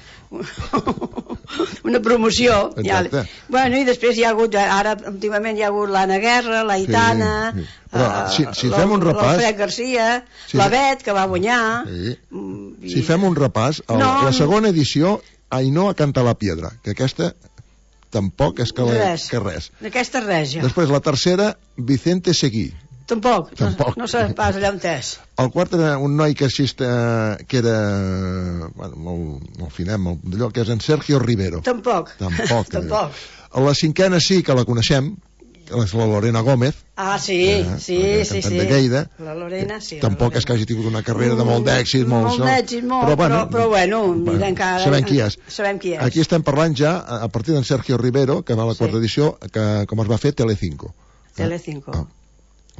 [SPEAKER 17] una promoció. Ja,
[SPEAKER 10] Exacte.
[SPEAKER 17] bueno, i després hi ha hagut, ara últimament hi ha hagut l'Anna Guerra, la Itana,
[SPEAKER 10] Sí, sí. Però,
[SPEAKER 17] eh,
[SPEAKER 10] si, si
[SPEAKER 17] l'Al-
[SPEAKER 10] fem un repàs...
[SPEAKER 17] l'Alfred Garcia,
[SPEAKER 10] Sí.
[SPEAKER 17] la Bet, que va guanyar.
[SPEAKER 10] Sí.
[SPEAKER 17] i-
[SPEAKER 10] Si fem un repàs, el,
[SPEAKER 17] No,
[SPEAKER 10] la segona edició, Ainhoa canta la piedra, que aquesta tampoc és que, la,
[SPEAKER 17] Res.
[SPEAKER 10] que res.
[SPEAKER 17] Aquesta res, ja.
[SPEAKER 10] Després, la tercera, Vicente Seguí.
[SPEAKER 17] Tampoc,
[SPEAKER 10] Tampoc.
[SPEAKER 17] no, no sé pas allà on és.
[SPEAKER 10] El quart era un noi que, assista, que era bueno, molt, molt finet, molt d'allò, que és en Sergio Rivero.
[SPEAKER 17] Tampoc.
[SPEAKER 10] Tampoc.
[SPEAKER 17] Tampoc.
[SPEAKER 10] A la cinquena sí que la coneixem, que és la Lorena Gómez,
[SPEAKER 17] Ah, sí,
[SPEAKER 10] Eh,
[SPEAKER 17] sí,
[SPEAKER 10] la
[SPEAKER 17] sí,
[SPEAKER 10] cantant
[SPEAKER 17] sí.
[SPEAKER 10] de Lleida.
[SPEAKER 17] La Lorena, sí. la
[SPEAKER 10] tampoc
[SPEAKER 17] Lorena.
[SPEAKER 10] és que hagi tingut una carrera de molt d'èxit. Molt,
[SPEAKER 17] Molt d'èxit, molt, però,
[SPEAKER 10] bueno,
[SPEAKER 17] però, però bueno, mira, encara...
[SPEAKER 10] sabem qui és.
[SPEAKER 17] Sabem qui és.
[SPEAKER 10] Aquí estem parlant ja, a a partir d'en Sergio Rivero, que va a la
[SPEAKER 17] Sí.
[SPEAKER 10] quarta edició, que com es va fer Telecinco.
[SPEAKER 17] Telecinco.
[SPEAKER 10] Ah.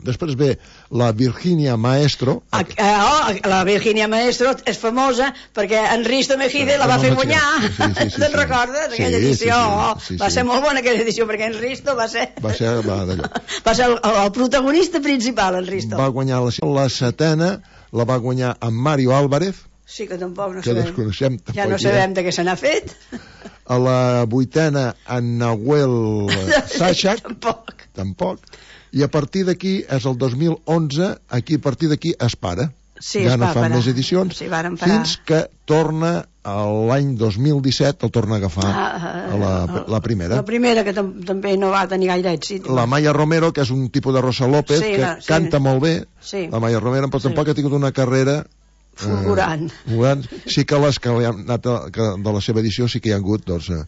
[SPEAKER 10] Després ve la Virginia Maestro.
[SPEAKER 17] Ah, oh, la Virginia Maestro és famosa perquè en Risto Mejide la va fer guanyar.
[SPEAKER 10] Sí, sí, sí,
[SPEAKER 17] Te'n
[SPEAKER 10] sí.
[SPEAKER 17] recordes?
[SPEAKER 10] Sí,
[SPEAKER 17] Aquella
[SPEAKER 10] sí,
[SPEAKER 17] edició.
[SPEAKER 10] sí, sí, sí,
[SPEAKER 17] Va
[SPEAKER 10] sí.
[SPEAKER 17] ser molt bona aquella edició perquè en Risto va ser,
[SPEAKER 10] Va ser, va, d'allò.
[SPEAKER 17] va ser el, el protagonista principal, en Risto.
[SPEAKER 10] Va guanyar la, la setena, la va guanyar en Mario Álvarez,
[SPEAKER 17] Sí, que tampoc no
[SPEAKER 10] que
[SPEAKER 17] sabem.
[SPEAKER 10] desconeixem.
[SPEAKER 17] Ja
[SPEAKER 10] tampoc
[SPEAKER 17] no
[SPEAKER 10] qui és.
[SPEAKER 17] sabem de què se n'ha fet.
[SPEAKER 10] A la vuitena, en Nahuel Sachak.
[SPEAKER 17] Tampoc.
[SPEAKER 10] Tampoc. I a partir d'aquí, és el dos mil onze, aquí a partir d'aquí es para.
[SPEAKER 17] Sí,
[SPEAKER 10] ja
[SPEAKER 17] es
[SPEAKER 10] no
[SPEAKER 17] va
[SPEAKER 10] fan
[SPEAKER 17] parar.
[SPEAKER 10] més edicions,
[SPEAKER 17] Sí, varen parar.
[SPEAKER 10] fins que torna a l'any dos mil disset, el torna a agafar
[SPEAKER 17] Ah,
[SPEAKER 10] a la, la primera.
[SPEAKER 17] La primera, que tam també no va tenir gaire èxit.
[SPEAKER 10] La Maya Romero, que és un tipus de Rosa López,
[SPEAKER 17] Sí,
[SPEAKER 10] que
[SPEAKER 17] la- sí.
[SPEAKER 10] canta molt bé,
[SPEAKER 17] Sí.
[SPEAKER 10] la Maya Romero, però
[SPEAKER 17] Sí.
[SPEAKER 10] tampoc ha tingut una carrera...
[SPEAKER 17] Fulgurant.
[SPEAKER 10] Eh, fulgurant. Sí que les que, li han anat a, que de la seva edició sí que hi ha hagut, doncs, eh,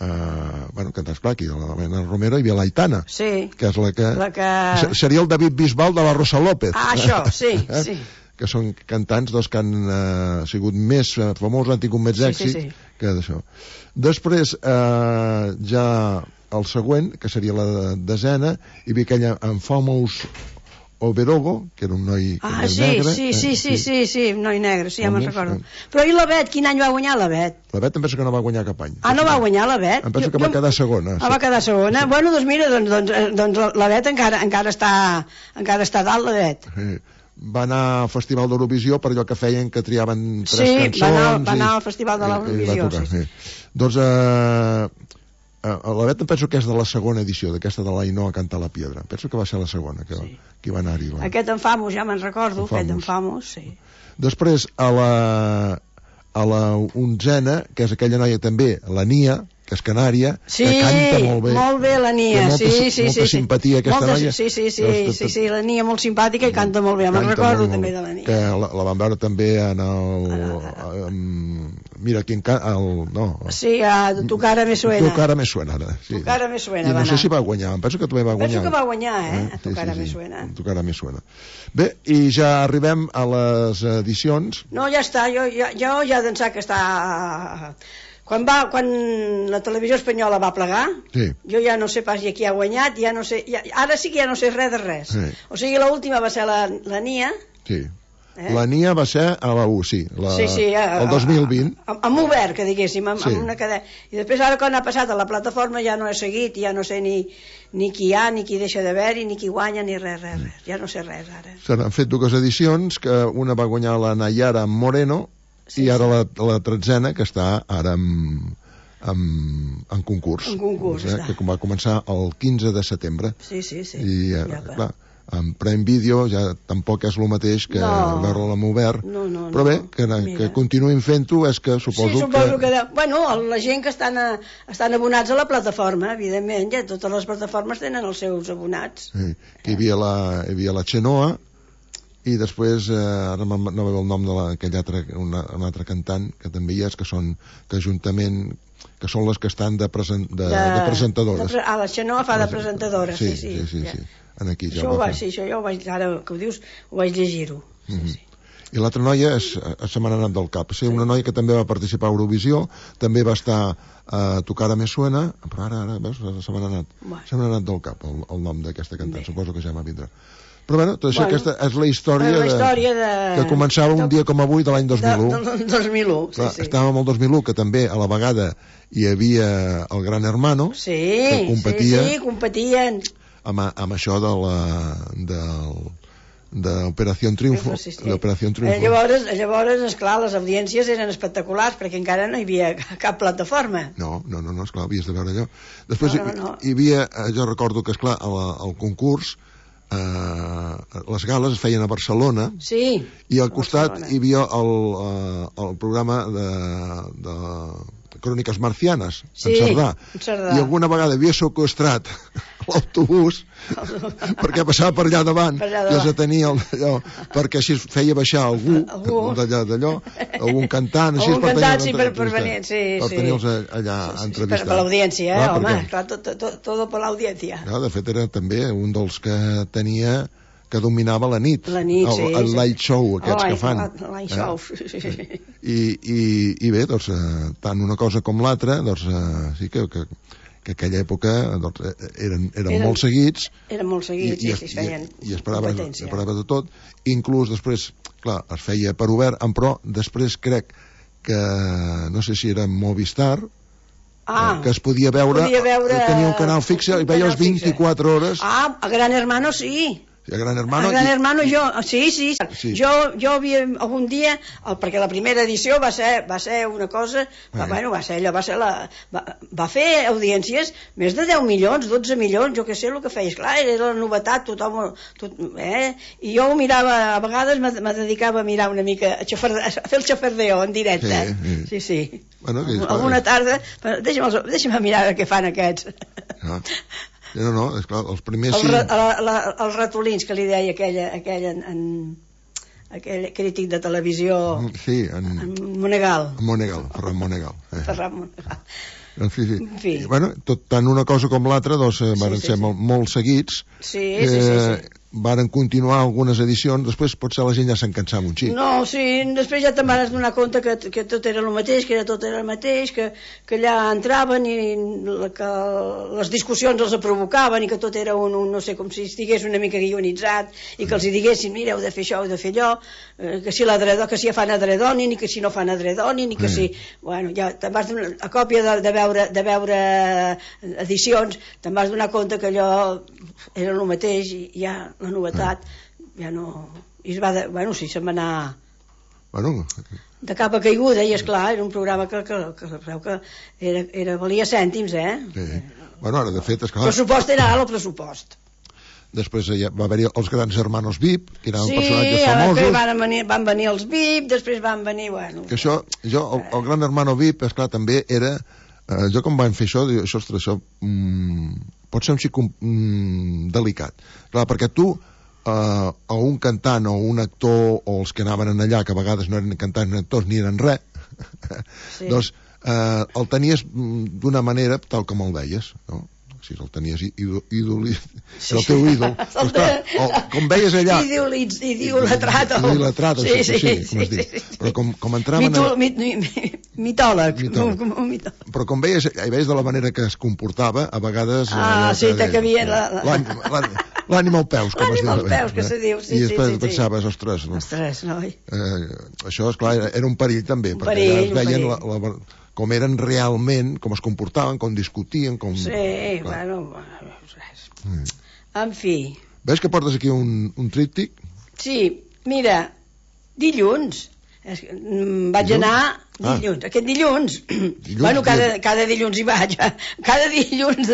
[SPEAKER 10] eh, bueno, cantants clar, aquí, de la Maya Romero i la Aitana,
[SPEAKER 17] Sí.
[SPEAKER 10] que és la que...
[SPEAKER 17] La que...
[SPEAKER 10] Se- Seria el David Bisbal de la Rosa López.
[SPEAKER 17] Ah, això, sí,
[SPEAKER 10] Eh?
[SPEAKER 17] sí.
[SPEAKER 10] Que són cantants doncs, que han eh, sigut més eh, famosos, han tingut més
[SPEAKER 17] Sí, sí,
[SPEAKER 10] èxit
[SPEAKER 17] sí.
[SPEAKER 10] que d'això. Després, eh, ja el següent, que seria la desena, hi havia aquella en Famous Oberogo, que era un noi
[SPEAKER 17] Ah,
[SPEAKER 10] que
[SPEAKER 17] sí,
[SPEAKER 10] era negre.
[SPEAKER 17] sí, sí,
[SPEAKER 10] eh,
[SPEAKER 17] sí, sí, sí, noi negre, sí, ja me'n
[SPEAKER 10] Famós,
[SPEAKER 17] recordo.
[SPEAKER 10] eh.
[SPEAKER 17] Però i la Bet, quin any va guanyar la Bet?
[SPEAKER 10] La Bet em penso que no va guanyar cap any.
[SPEAKER 17] Ah, no va guanyar la Bet?
[SPEAKER 10] Em penso
[SPEAKER 17] Jo-
[SPEAKER 10] que va
[SPEAKER 17] jo-
[SPEAKER 10] quedar segona.
[SPEAKER 17] Ah, va quedar segona? Bueno, doncs mira, doncs, doncs, eh, doncs la- la Bet encara, encara, està, encara està dalt, la Bet.
[SPEAKER 10] Sí. Va anar al Festival d'Eurovisió per allò que feien que triaven tres
[SPEAKER 17] Sí,
[SPEAKER 10] cançons.
[SPEAKER 17] va anar- va
[SPEAKER 10] i-
[SPEAKER 17] anar al Festival de
[SPEAKER 10] i- i
[SPEAKER 17] l'Eurovisió,
[SPEAKER 10] va tocar,
[SPEAKER 17] sí, sí.
[SPEAKER 10] sí. Doncs eh, eh, la Bet em penso que és de la segona edició, d'aquesta de l'Ainhoa Canta la Piedra. Penso que va ser la segona que, sí. que va anar-hi. La...
[SPEAKER 17] Aquest en Famos, ja me'n recordo,
[SPEAKER 10] En
[SPEAKER 17] aquest en
[SPEAKER 10] Famos.
[SPEAKER 17] Famos, sí.
[SPEAKER 10] Després, a la, a la onzena, que és aquella noia també, la Nia, que és canària,
[SPEAKER 17] Sí,
[SPEAKER 10] que canta molt bé.
[SPEAKER 17] molt bé la Nia,
[SPEAKER 10] Té molta,
[SPEAKER 17] sí, sí,
[SPEAKER 10] molta
[SPEAKER 17] sí.
[SPEAKER 10] simpatia aquesta
[SPEAKER 17] molta,
[SPEAKER 10] noia.
[SPEAKER 17] Sí, sí, sí,
[SPEAKER 10] Doncs,
[SPEAKER 17] sí, sí, la Nia molt simpàtica i canta molt bé, me'n
[SPEAKER 10] canta
[SPEAKER 17] recordo
[SPEAKER 10] molt,
[SPEAKER 17] també
[SPEAKER 10] molt.
[SPEAKER 17] de la Nia.
[SPEAKER 10] Que la, la vam veure també en el... Um, mira, quin ca... El, no,
[SPEAKER 17] Sí, a Tu cara me suena.
[SPEAKER 10] Tu cara me suena, ara. Sí.
[SPEAKER 17] Tu cara me suena,
[SPEAKER 10] I
[SPEAKER 17] va
[SPEAKER 10] no sé
[SPEAKER 17] anar.
[SPEAKER 10] si va guanyar, em penso que també va guanyar.
[SPEAKER 17] Penso que va guanyar, eh? A Tu
[SPEAKER 10] Sí,
[SPEAKER 17] cara
[SPEAKER 10] sí,
[SPEAKER 17] me
[SPEAKER 10] sí.
[SPEAKER 17] suena.
[SPEAKER 10] Tu cara me suena. Bé, i ja arribem a les edicions.
[SPEAKER 17] No, ja està, jo, jo, jo ja d'ençà que està... Quan, va, quan la televisió espanyola va plegar,
[SPEAKER 10] Sí.
[SPEAKER 17] jo ja no sé pas qui ha guanyat, ja no sé, ja, ara sí que ja no sé res de res.
[SPEAKER 10] Sí.
[SPEAKER 17] O sigui, l'última va ser la, la Nia,
[SPEAKER 10] Sí.
[SPEAKER 17] Eh?
[SPEAKER 10] La N I A va ser a la U, sí, la,
[SPEAKER 17] sí, sí a,
[SPEAKER 10] el dos mil vint.
[SPEAKER 17] Amb obert, que diguéssim, amb,
[SPEAKER 10] sí.
[SPEAKER 17] amb una cadena. I després, ara, quan ha passat a la plataforma, ja no he seguit, ja no sé ni, ni qui hi ha, ni qui deixa d'haver-hi, ni qui guanya, ni res, res, res. Ja no sé res, ara.
[SPEAKER 10] Se n'han fet dues edicions, que una va guanyar la Nayara Moreno, sí, i ara sí. la, la tretzena, que està ara en, en, en concurs.
[SPEAKER 17] En concurs,
[SPEAKER 10] eh, que va començar el quinze de setembre.
[SPEAKER 17] Sí, sí, sí.
[SPEAKER 10] I, eh, ja, clar, en Prime Video ja tampoc és el mateix que no. veure-la amb obert,
[SPEAKER 17] no, no,
[SPEAKER 10] però bé, que,
[SPEAKER 17] Mira.
[SPEAKER 10] que continuïn fent-ho és que suposo,
[SPEAKER 17] sí, suposo
[SPEAKER 10] que...
[SPEAKER 17] que... Bueno, la gent que estan, a, estan abonats a la plataforma, evidentment, ja totes les plataformes tenen els seus abonats.
[SPEAKER 10] Sí, que hi havia la, hi havia la Xenoa, i després, eh, ara no veu el nom d'aquell altre, una, un altre cantant que també hi és, que són, que juntament, que són les que estan de, present, de, de, de presentadores.
[SPEAKER 17] De, ah, la Xenoa fa de presentadora, sí, sí.
[SPEAKER 10] Sí, sí,
[SPEAKER 17] ja.
[SPEAKER 10] sí. En aquí, ja
[SPEAKER 17] això, ho va, sí, això ja ho vaig, ara que ho dius, ho vaig llegir-ho. Sí, mm -hmm. sí.
[SPEAKER 10] I l'altra noia és, se m'ha anat del cap, sí, una noia que també va participar a Eurovisió, també va estar a Tocar a Me Suena, però ara, ara veus, se m'ha anat, bueno. se m'ha anat del cap el, el nom d'aquesta cantant, Bé. suposo que ja m'ha vindrà. Però bueno, tot això, bueno, aquesta és la història,
[SPEAKER 17] la història de,
[SPEAKER 10] de, que començava un dia com avui de l'any dos mil u.
[SPEAKER 17] De, de, dos mil u,
[SPEAKER 10] Clar,
[SPEAKER 17] sí, sí.
[SPEAKER 10] Estàvem al dos mil u, que també a la vegada hi havia el Gran Hermano,
[SPEAKER 17] sí,
[SPEAKER 10] que competia,
[SPEAKER 17] sí, sí, competien
[SPEAKER 10] amb, amb això de la del d'Operació Triunfo,
[SPEAKER 17] sí, sí.
[SPEAKER 10] l'Operació Triunfo.
[SPEAKER 17] Eh, llavors, llavors, esclar, les audiències eren espectaculars perquè encara no hi havia cap plataforma.
[SPEAKER 10] No, no, no, no esclar, havies de veure allò. Després
[SPEAKER 17] no, no, no.
[SPEAKER 10] Hi, hi havia, jo recordo que, esclar, al concurs eh, les gales es feien a Barcelona,
[SPEAKER 17] sí,
[SPEAKER 10] i al costat Barcelona. Hi havia el, eh, el programa de, de Cròniques Marcianes,
[SPEAKER 17] sí,
[SPEAKER 10] en Cerdà.
[SPEAKER 17] en Cerdà, i
[SPEAKER 10] alguna vegada havia seqüestrat l'autobús perquè passava per allà davant, per allà davant. i els atenia allò, perquè així feia baixar algú, algú. d'allà d'allò, algun cantant, així
[SPEAKER 17] algun
[SPEAKER 10] per
[SPEAKER 17] cantant, sí, per, per venir, sí,
[SPEAKER 10] per
[SPEAKER 17] sí.
[SPEAKER 10] tenir-los allà
[SPEAKER 17] sí, sí,
[SPEAKER 10] entrevistats.
[SPEAKER 17] Per, per l'audiència, eh,
[SPEAKER 10] clar,
[SPEAKER 17] home,
[SPEAKER 10] perquè,
[SPEAKER 17] clar, tot, tot, tot per l'audiència.
[SPEAKER 10] Clar, de fet era també un dels que tenia que dominava la nit,
[SPEAKER 17] la nit
[SPEAKER 10] el,
[SPEAKER 17] sí,
[SPEAKER 10] el light show aquests
[SPEAKER 17] oh,
[SPEAKER 10] que fan
[SPEAKER 17] el light show
[SPEAKER 10] eh? I, i, i bé, doncs eh, tant una cosa com l'altra doncs eh, sí que, que, que aquella època doncs, eren, eren, eren molt seguits
[SPEAKER 17] eren molt seguits i, i, sí, feien
[SPEAKER 10] i, i esperava, esperava de tot, inclús després clar, es feia per obert, però després crec que no sé si era Movistar
[SPEAKER 17] Ah,
[SPEAKER 10] que es podia veure,
[SPEAKER 17] podia veure
[SPEAKER 10] tenia un canal fixe i veia les vint-i-quatre hores.
[SPEAKER 17] Ah, a Gran Hermano sí.
[SPEAKER 10] A Gran Hermano,
[SPEAKER 17] a Gran
[SPEAKER 10] i...
[SPEAKER 17] Hermano jo, sí, sí, sí. Jo, jo havia algun dia, el, perquè la primera edició va ser, va ser una cosa, va, bueno, va ser allò, va ser la, va, va fer audiències més de deu milions, dotze milions, jo què sé el que feia, clar, era la novetat, tothom, tot, eh? I jo ho mirava, a vegades me, me dedicava a mirar una mica, a, xafarde, a fer el xafardeo en directe,
[SPEAKER 10] sí,
[SPEAKER 17] sí, sí. sí.
[SPEAKER 10] Bueno, que
[SPEAKER 17] alguna tarda, deixa'm, deixa'm mirar què fan aquests.
[SPEAKER 10] Ah. No, no, és clar, els primers...
[SPEAKER 17] El, sí... la, la, els ratolins que li deia aquella, aquella en, en, aquell crític de televisió...
[SPEAKER 10] Sí, en...
[SPEAKER 17] en Monegal.
[SPEAKER 10] En Monegal, Ferran Monegal. Eh.
[SPEAKER 17] Ferran Monegal.
[SPEAKER 10] En fi, sí. En fi. I, bueno, tot, tant una cosa com l'altra, doncs, sí, van sí, ser sí. Molt, molt seguits.
[SPEAKER 17] Sí, eh, sí, sí, sí.
[SPEAKER 10] Varen continuar algunes edicions, després potser la gent ja se'n cansava un xic.
[SPEAKER 17] No, sí, després ja te'n vas donar compte que, que tot era el mateix, que era tot era el mateix, que, que allà entraven i la, que les discussions els provocaven i que tot era un, un, no sé, com si estigués una mica guionitzat i que els hi diguessin, mira, heu de fer això, heu de fer allò, eh, que si l'adredó, que si ja fan adredonin i que si no fan adredonin i que sí. si... Bueno, ja te'n vas donar, a còpia de, de, veure, de veure edicions, te'n vas donar compte que allò era el mateix i ja la novetat eh. ja no... I es va de... bueno, sí, se'n va anar
[SPEAKER 10] bueno.
[SPEAKER 17] de cap a caiguda i esclar, era un programa que, que, que, que, que era, era, valia cèntims, eh?
[SPEAKER 10] Sí. Bueno, ara de fet, esclar...
[SPEAKER 17] El pressupost era alt, el pressupost.
[SPEAKER 10] Després ja va haver-hi els grans hermanos V I P, que eren
[SPEAKER 17] sí,
[SPEAKER 10] personatges famosos.
[SPEAKER 17] Sí, van venir, van venir els V I P, després van venir, bueno...
[SPEAKER 10] Que això, jo, el, el gran hermano V I P, esclar, també era... Eh, jo com van fer això, dic, això, ostres, això mm, pot ser un xic mm, delicat. Clar, perquè tu Uh, o un cantant o un actor o els que anaven en allà, que a vegades no eren cantants ni actors ni eren res sí. doncs uh, el tenies d'una manera tal com el veies, no? si el tenies ídol, era el teu ídol. Com veies allà...
[SPEAKER 17] Idolatrat.
[SPEAKER 10] Idolatrat, sí, sí, com es diu. Però com entraven...
[SPEAKER 17] Mitòleg.
[SPEAKER 10] Però com veies, hi veies de la manera que es comportava, a vegades...
[SPEAKER 17] Ah, sí, que havia...
[SPEAKER 10] L'ànima als peus, com es diu.
[SPEAKER 17] L'ànima als peus, que se diu, sí, sí.
[SPEAKER 10] I després pensaves, ostres...
[SPEAKER 17] Ostres, noi.
[SPEAKER 10] Això, esclar, era un perill també, perquè es veien com eren realment, com es comportaven, com discutien, com...
[SPEAKER 17] Sí, bueno... En fi...
[SPEAKER 10] Veus que portes aquí un tríptic?
[SPEAKER 17] Sí, mira, dilluns... Vaig anar dilluns, aquest dilluns, bueno, cada dilluns hi vaig, cada dilluns,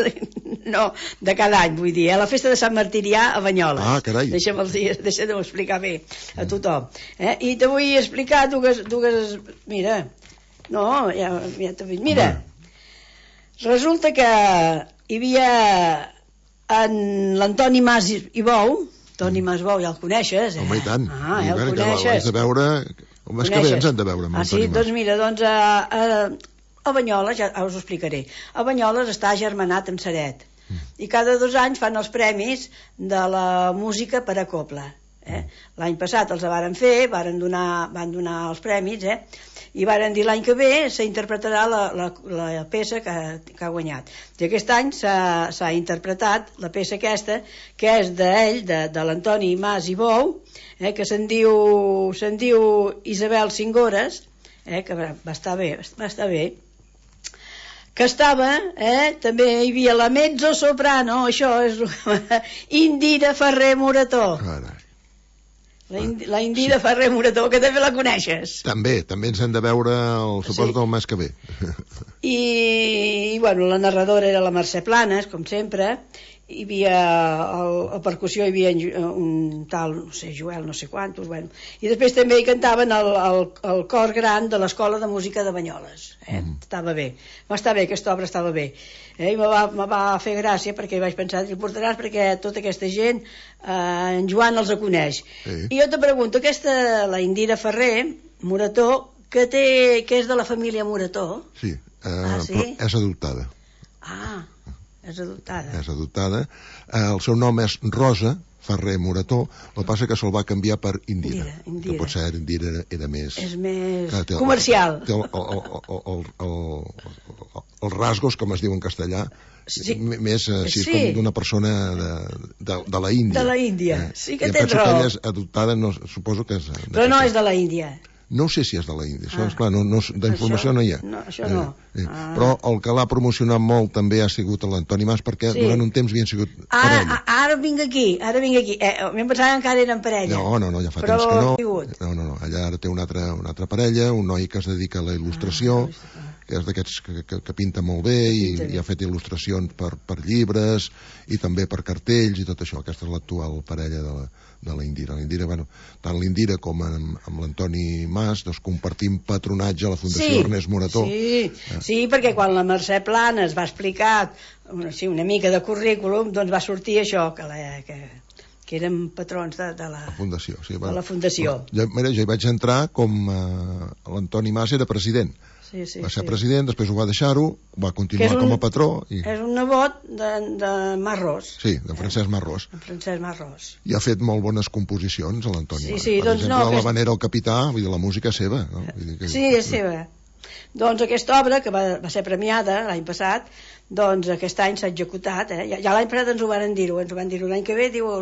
[SPEAKER 17] no, de cada any, vull dir, a la festa de Sant Martirià a Banyoles.
[SPEAKER 10] Ah, carai.
[SPEAKER 17] Deixa'm-ho explicar bé a tothom. I te vull explicar dues, mira, no, ja t'ho dic, mira, resulta que hi havia en l'Antoni Mas i Bou, Toni Mas Bou, ja el coneixes, eh?
[SPEAKER 10] Home, i tant.
[SPEAKER 17] Ah, ja el coneixes.
[SPEAKER 10] L'has de veure... Com és que bé ens hem de veure amb
[SPEAKER 17] ah, sí? Doncs mira, doncs a, a, a Banyoles, ja us ho explicaré, a Banyoles està agermanat amb Ceret mm. i cada dos anys fan els premis de la música per a cobla. Eh? L'any passat els varen fer, varen donar, van donar els premis, eh? I varen dir l'any que ve s'interpretarà la, la, la peça que, que ha guanyat. I aquest any s'ha interpretat la peça aquesta, que és d'ell, de, de l'Antoni Mas i Bou, eh, que se'n diu, se'n diu Isabel Cingores, eh, que va estar bé, va estar bé, que estava, eh, també hi havia la mezzo-soprano, això és Indira Ferrer Morató.
[SPEAKER 10] Carai.
[SPEAKER 17] La, Indi, la Indira sí. Ferrer Morató, que també la coneixes.
[SPEAKER 10] També, també ens hem de veure el suport sí. del mes que ve.
[SPEAKER 17] I, i bueno, la narradora era la Mercè Planes, com sempre. Hi havia el, a percussió hi havia un tal, no sé, Joel, no sé quantos, bueno. I després també hi cantaven el, el, el cor gran de l'Escola de Música de Banyoles. Eh? Mm. Estava bé, va estar bé, aquesta obra estava bé. Eh? I me va, me va fer gràcia perquè vaig pensar, li portaràs perquè tota aquesta gent, eh, en Joan els coneix. Sí. I jo te pregunto, aquesta, la Indira Ferrer Morató, que, té, que és de la família Morató?
[SPEAKER 10] Sí, eh, ah, sí? Però és adoptada.
[SPEAKER 17] Ah, és adoptada.
[SPEAKER 10] És adoptada. El seu nom és Rosa Ferrer Morató, el que passa que se'l va canviar per Indira. Indira, Indira. Que potser Indira era, era més...
[SPEAKER 17] És més té, comercial.
[SPEAKER 10] Té el, el, el, el, el, el, els rasgos, com es diu en castellà, sí. més així sí. Com d'una persona de, de, de la Índia.
[SPEAKER 17] De la Índia, eh? Sí que tens raó. I
[SPEAKER 10] penso que ella és adoptada, no, suposo que és...
[SPEAKER 17] Però no és de la Índia.
[SPEAKER 10] No sé si és de la Índia, això, ah. esclar, no, no, d'informació no hi ha.
[SPEAKER 17] No, això no.
[SPEAKER 10] Eh, eh. Ah. Però el que l'ha promocionat molt també ha sigut l'Antoni Mas, perquè sí. durant un temps havien sigut
[SPEAKER 17] ara,
[SPEAKER 10] parella.
[SPEAKER 17] Ara vinc aquí, ara vinc aquí. Eh, m'hem pensat que encara eren parella.
[SPEAKER 10] No, no, no, ja fa
[SPEAKER 17] però
[SPEAKER 10] temps que no.
[SPEAKER 17] Vingut.
[SPEAKER 10] No, no, no, allà ara té una altra, una altra parella, un noi que es dedica a la il·lustració, ah, que és d'aquests que, que, que pinta molt bé i, i ha fet il·lustracions per, per llibres i també per cartells i tot això. Aquesta és l'actual parella de la, de la Indira. La Indira, bueno, tant l'Indira com amb, amb l'Antoni Mas, doncs compartim patronatge a la Fundació
[SPEAKER 17] sí,
[SPEAKER 10] Ernest Morató.
[SPEAKER 17] Sí, eh? Sí, perquè quan la Mercè Planes va explicar una, sí, una mica de currículum, doncs va sortir això, que, la, que, que érem patrons de, de, la,
[SPEAKER 10] la fundació. Sí, bueno,
[SPEAKER 17] de la fundació.
[SPEAKER 10] Jo, mira, jo hi vaig entrar com eh, l'Antoni Mas era president.
[SPEAKER 17] Sí, sí,
[SPEAKER 10] va ser
[SPEAKER 17] sí.
[SPEAKER 10] president, després ho va deixar-ho, va continuar un, com a patró. I...
[SPEAKER 17] És un nebot de, de Marrós.
[SPEAKER 10] Sí, de Francesc Marrós.
[SPEAKER 17] De Francesc Marrós.
[SPEAKER 10] I ha fet molt bones composicions, l'Antoni.
[SPEAKER 17] Sí, sí,
[SPEAKER 10] per
[SPEAKER 17] doncs
[SPEAKER 10] exemple,
[SPEAKER 17] no,
[SPEAKER 10] La
[SPEAKER 17] aquest...
[SPEAKER 10] Vanera al Capità, vull dir, la música és seva. No? Vull dir que...
[SPEAKER 17] Sí, és seva. Doncs aquesta obra, que va, va ser premiada l'any passat, doncs aquest any s'ha executat, eh? ja, ja l'any passat ens ho van dir-ho, ens ho van dir-ho l'any que ve, diu,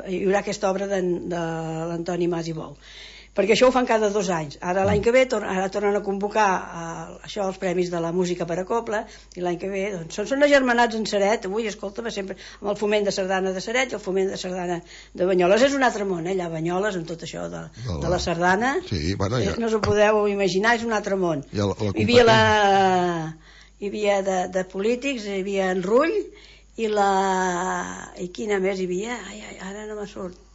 [SPEAKER 17] hi haurà aquesta obra de, de l'Antoni Mas i Bou. Perquè això ho fan cada dos anys. Ara l'any que ve tor ara tornen a convocar uh, això, els premis de la música per a cobla, i l'any que ve doncs, són, són agermanats en Ceret. Avui, escolta, sempre amb el foment de sardana de Ceret i el foment de sardana de Banyoles. És un altre món, eh, allà a Banyoles, amb tot això de, de la sardana.
[SPEAKER 10] Sí, bueno, ja...
[SPEAKER 17] No us ho podeu imaginar, és un altre món.
[SPEAKER 10] Ja la, la
[SPEAKER 17] hi havia, la... hi havia de, de polítics, hi havia en Rull, i la... i quina més hi havia? Ai, ai, ara no me surt.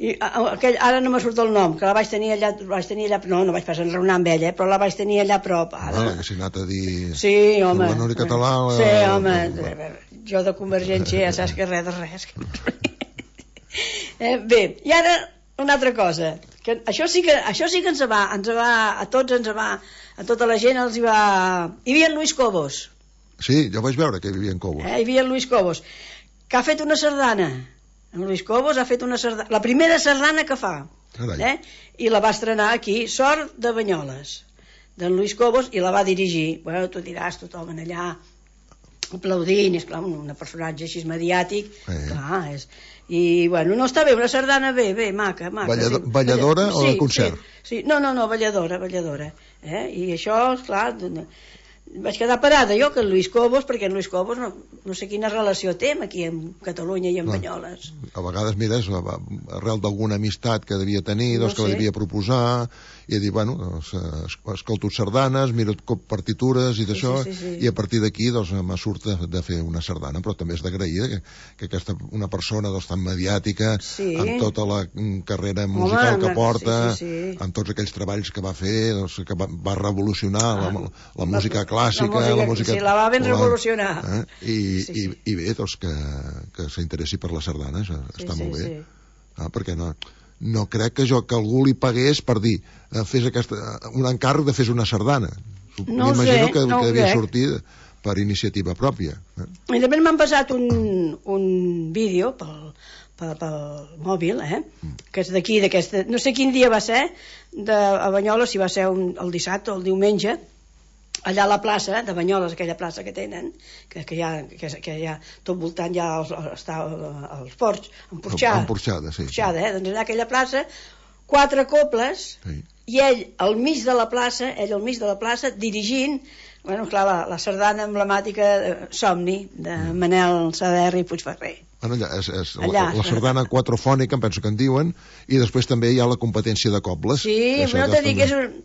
[SPEAKER 17] I, aquell, ara no me surt el nom, que la vaig tenir allà, vaig tenir allà no, no vaig pas enraonar amb ella, eh, però la vaig tenir allà a prop. Ara.
[SPEAKER 10] Ah, que s'hi ha anat a dir...
[SPEAKER 17] Sí, home.
[SPEAKER 10] La Nori Català... La...
[SPEAKER 17] Sí, home. La... Jo de Convergència ja saps que res de res. eh, bé, i ara una altra cosa. Que això, sí que, això sí que ens va, ens va, a tots ens va, a tota la gent els hi va... Hi havia en Luis Cobos.
[SPEAKER 10] Sí, jo vaig veure que hi havia en Cobos.
[SPEAKER 17] Eh, hi havia en Luis Cobos, que ha fet una sardana. En Luis Cobos ha fet una sardana, la primera sardana que fa. Eh? I la va estrenar aquí, Sort de Banyoles, d'en Luis Cobos, i la va dirigir. Bueno, tu diràs, tothom en allà aplaudint, és clar, un personatge així mediàtic, eh. clar, és... I, bueno, no està bé, una sardana bé, bé, maca, maca.
[SPEAKER 10] Ballado,
[SPEAKER 17] sí.
[SPEAKER 10] Balladora
[SPEAKER 17] sí,
[SPEAKER 10] o de concert?
[SPEAKER 17] Sí, sí, no, no, no, balladora, balladora. Eh? I això, esclar, vaig quedar parada jo que en Luis Cobos, perquè en Luis Cobos no, no sé quina relació té aquí en Catalunya i en no. Banyoles.
[SPEAKER 10] A vegades, mira, és arrel d'alguna amistat que devia tenir, doncs, no que la devia proposar, i dir, bueno, doncs, escolto sardanes, miro partitures i d'això, sí, sí, sí, sí. I a partir d'aquí doncs, me surt de, de fer una sardana, però també és d'agrair que, que aquesta, una persona doncs, tan mediàtica, sí. Amb tota la carrera musical Home, que porta, sí, sí, sí. Amb tots aquells treballs que va fer, doncs, que va, va revolucionar ah, la, la música clàssica, la música,
[SPEAKER 17] la música... Sí, la va ben revolucionar.
[SPEAKER 10] Eh? I, sí, sí. I, I bé, doncs, que, que s'interessi per la sardana, això sí, està sí, molt bé. Sí. Ah, perquè no... No crec que jo que algú li pagués per dir eh, fes aquesta, un encàrrec de fes una sardana.
[SPEAKER 17] No
[SPEAKER 10] M'imagino
[SPEAKER 17] sé,
[SPEAKER 10] que,
[SPEAKER 17] no
[SPEAKER 10] que devia sortir per iniciativa pròpia. Eh?
[SPEAKER 17] I també m'han passat un, un vídeo pel, pel, pel mòbil, eh? Mm. Que és d'aquí, d'aquesta... No sé quin dia va ser, de, a Banyoles, si va ser un, el dissabte o el diumenge, allà a la plaça de Banyoles, aquella plaça que tenen, que, que, hi, ha, que, que hi ha tot voltant ja els, està els ports, emporxada,
[SPEAKER 10] emporxada, sí,
[SPEAKER 17] emporxada, eh? Doncs allà aquella plaça, quatre coples, sí. I ell al mig de la plaça, ell al mig de la plaça, dirigint, bueno, clar, la, la sardana emblemàtica de Somni, de Manel Saderri i Puigferrer.
[SPEAKER 10] Bueno, allà, és, és allà. La, la sardana quatrofònica, em penso que en diuen, i després també hi ha la competència de cobles.
[SPEAKER 17] Sí, però no t'he dit que és un...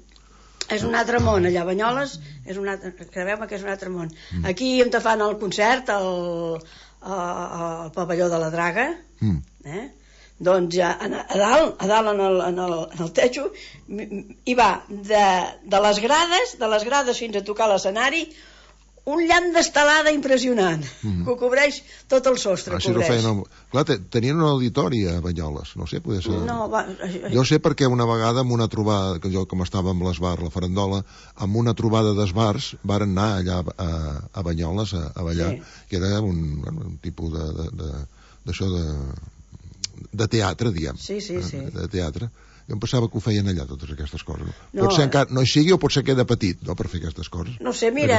[SPEAKER 17] És un altre món, allà a Banyoles, és un altre, crebeu-me que és un altre món. Mm. Aquí on te fan el concert, el, el pavelló de la Draga, mm. eh? Doncs ja, a, a dalt, a dalt en el, en el, en el techo, hi va de, de les grades, de les grades fins a tocar l'escenari, un llamp d'estelada impressionant, mm-hmm. que cobreix tot el sostre.
[SPEAKER 10] Ah, si no feien el... Clar, tenien un auditori a Banyoles, no sé, poder ser...
[SPEAKER 17] No, va...
[SPEAKER 10] Jo sé perquè una vegada amb una trobada, que jo com estava amb l'esbar, la farandola, amb una trobada d'esbars, varen anar allà a, a Banyoles a, a ballar, sí. Que era un, bueno, un tipus de, de, de, d'això de, de teatre, diguem.
[SPEAKER 17] Sí, sí, sí.
[SPEAKER 10] De, de teatre. Jo em pensava que ho feien allà, totes aquestes coses. No. Pot ser encara, no hi sigui o pot ser que de petit, no?, per fer aquestes coses.
[SPEAKER 17] No sé, mira,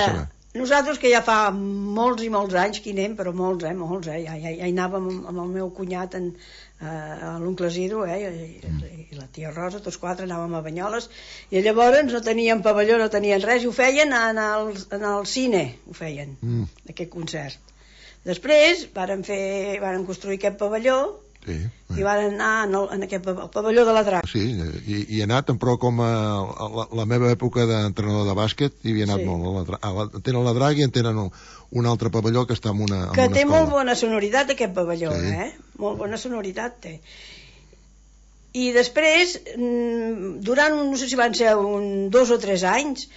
[SPEAKER 17] nosaltres que ja fa molts i molts anys que hi anem, però molts, eh, molts, eh, ja, ja, ja hi anàvem amb, amb el meu cunyat, en, eh, l'oncle Isidro, eh, i, mm. i la tia Rosa, tots quatre anàvem a Banyoles, i llavors no tenien pavelló, no tenien res, i ho feien en el, en el cine, ho feien, mm. aquest concert. Després varen fer, varen construir aquest pavelló, sí, i van anar en, el, en aquest pavelló de la Draga.
[SPEAKER 10] Sí, i, i he anat, però com a, a la, la meva època d'entrenador de bàsquet, hi havia anat sí. molt. A la, tenen la Draga i en tenen un, un altre pavelló que està en una, en
[SPEAKER 17] que
[SPEAKER 10] una
[SPEAKER 17] té
[SPEAKER 10] escola.
[SPEAKER 17] Molt bona sonoritat aquest pavelló, sí. eh? Molt bona sonoritat té. I després, durant, no sé si van ser un dos o tres anys,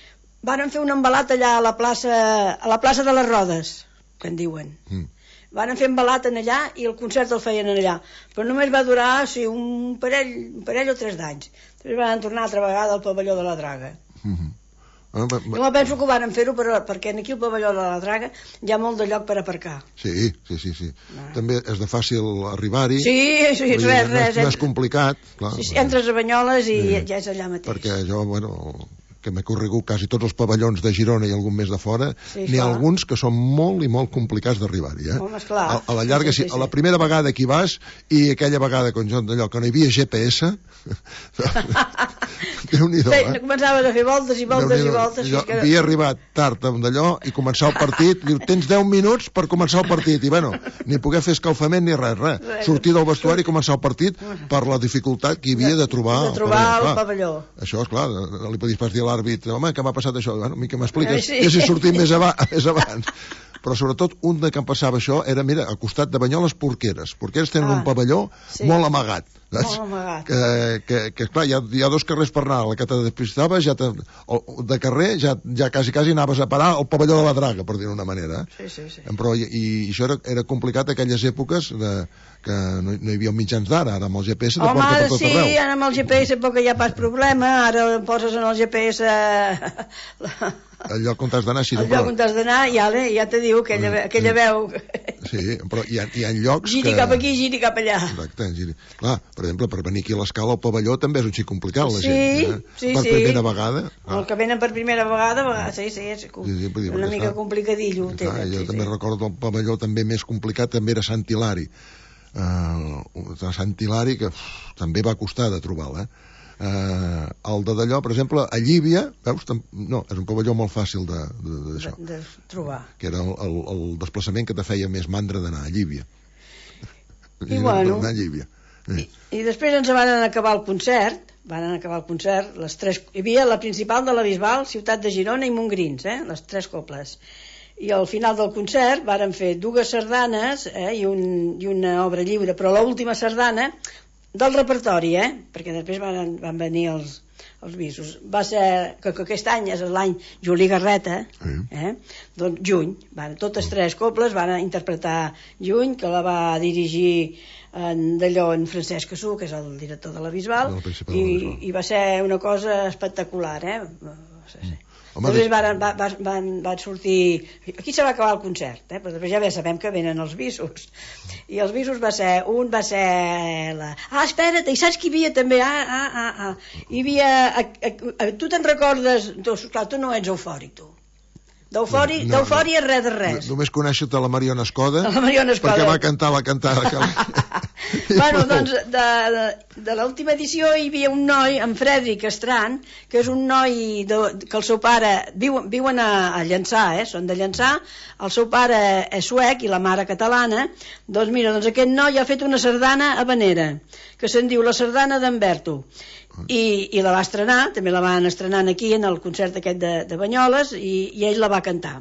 [SPEAKER 17] van fer un embalat allà a la plaça, a la plaça de les Rodes, que en diuen. Mm. Van fer embalat en allà i el concert el feien en allà, però només va durar sí, un, parell, un parell o tres d'anys. Després van tornar altra vegada al pavelló de la Draga. Mm-hmm. ah, ba, ba, jo penso que ho van fer-ho per, perquè aquí al pavelló de la Draga hi ha molt de lloc per aparcar.
[SPEAKER 10] Sí, sí, sí, sí. Ah. També és de fàcil arribar-hi.
[SPEAKER 17] Sí, sí, res, res.
[SPEAKER 10] No és, no és complicat. Clar,
[SPEAKER 17] sí, sí, entres a Banyoles i sí. ja és allà mateix.
[SPEAKER 10] Perquè jo, bueno... que m'he corregut quasi tots els pavellons de Girona i algun més de fora, sí, n'hi ha alguns que són molt i molt complicats d'arribar-hi, eh?
[SPEAKER 17] Home, esclar.
[SPEAKER 10] A, a la llarga, sí, sí, sí. A la primera vegada que hi vas, i aquella vegada, com jo, d'allò, que no hi havia G P S, Déu-n'hi-do, eh?
[SPEAKER 17] Començaves a fer voltes i voltes i voltes.
[SPEAKER 10] Jo que... havia arribat tard d'allò i començar el partit, diu, tens deu minuts per començar el partit, i bueno, ni poder fer escalfament ni res, res. res. Sortir del vestuari i començar el partit per la dificultat que hi havia de trobar,
[SPEAKER 17] de trobar el, el pavelló.
[SPEAKER 10] Això, esclar, no li podies pas dir a l'àrbit, home, que m'ha passat això, bueno, a mi que m'expliques, sí. ja s'hi sortit més, aba més abans. Però sobretot un de que em passava això era, mira, al costat de Banyoles, Porqueres. Porqueres tenen ah, un pavelló sí. molt amagat.
[SPEAKER 17] Molt amagat.
[SPEAKER 10] Que, que, que clar, hi ha, hi ha dos carrers per anar. La que te despistaves, ja te, de carrer, ja, ja quasi, quasi anaves a parar al pavelló de la Draga, per dir-ho d'una manera.
[SPEAKER 17] Sí, sí, sí.
[SPEAKER 10] Però, i, i això era, era complicat aquelles èpoques de, que no, no hi havia mitjans d'ara, ara amb el G P S te
[SPEAKER 17] Home,
[SPEAKER 10] porta per tot
[SPEAKER 17] sí,
[SPEAKER 10] arreu.
[SPEAKER 17] Home, ara amb el G P S poc que hi ha pas problema, ara poses en el G P S la,
[SPEAKER 10] el lloc on t'has d'anar, sí.
[SPEAKER 17] El lloc on t'has d'anar, ja, ja te diu aquella, aquella veu.
[SPEAKER 10] Sí, però hi ha, hi ha llocs
[SPEAKER 17] giri
[SPEAKER 10] que...
[SPEAKER 17] cap aquí, giri cap allà.
[SPEAKER 10] Exacte, giri. Clar, per exemple, per venir aquí a l'Escala al pavelló també és un xic complicat, la
[SPEAKER 17] sí,
[SPEAKER 10] gent. Eh?
[SPEAKER 17] Sí,
[SPEAKER 10] per
[SPEAKER 17] sí.
[SPEAKER 10] primera vegada.
[SPEAKER 17] Ah. El que venen per primera vegada, vegada sí, sí, és sí, sí, dir, una mica clar, complicadillo.
[SPEAKER 10] Clar, tenen, jo sí, també sí. recordo el pavelló també més complicat, també era Sant Hilari. Uh, Sant Hilari, que uf, també va costar de trobar-la, eh? Uh, el de d'allò, per exemple, a Llívia, veus, no, és un pavelló molt fàcil de, de, de, d'això,
[SPEAKER 17] de, de trobar,
[SPEAKER 10] que era el, el, el desplaçament que te feia més mandra d'anar a Llívia.
[SPEAKER 17] I, I bueno,
[SPEAKER 10] d'anar a Llívia.
[SPEAKER 17] I, i després ens van acabar el concert, van acabar el concert, les tres, hi havia la principal de la Bisbal, Ciutat de Girona i Montgrins, eh, les tres coples. I al final del concert varen fer dues sardanes eh, i, un, i una obra lliure, però l'última sardana del repertori, eh? Perquè després van, van venir els, els visos. Va ser, que, que aquest any és l'any Juli Garreta, eh? Doncs Juny, van, totes tres coples van interpretar Juny, que la va dirigir en, d'allò en Francesc Cassú, que és el director de la Bisbal, i, i va ser una cosa espectacular, eh? Sí, sí. Home, després van, van, van, van sortir... Aquí se va acabar el concert, eh? Però després ja bé sabem que venen els visos. I els visos va ser... Un va ser... La... Ah, espera't, i saps qui hi havia també? Ah, ah, ah, ah. Hi havia... A, a, a, tu te'n recordes... Tu, clar, tu no ets eufòric, tu. D'eufòria no, no, no. res de res.
[SPEAKER 10] Només conèixer-te la Mariona Escoda,
[SPEAKER 17] la Mariona Escoda,
[SPEAKER 10] perquè va cantar la cantada que...
[SPEAKER 17] Bueno, doncs de, de, de l'última edició hi havia un noi, en Frederic Estran, que és un noi de, que el seu pare viu, viuen a, a Llançà, eh? Són de Llançà, el seu pare és suec i la mare catalana. Doncs mira, doncs aquest noi ha fet una sardana habanera que se'n diu la sardana d'Hamberto, i, i la va estrenar, també la van estrenant aquí en el concert aquest de, de Banyoles, i, i ell la va cantar,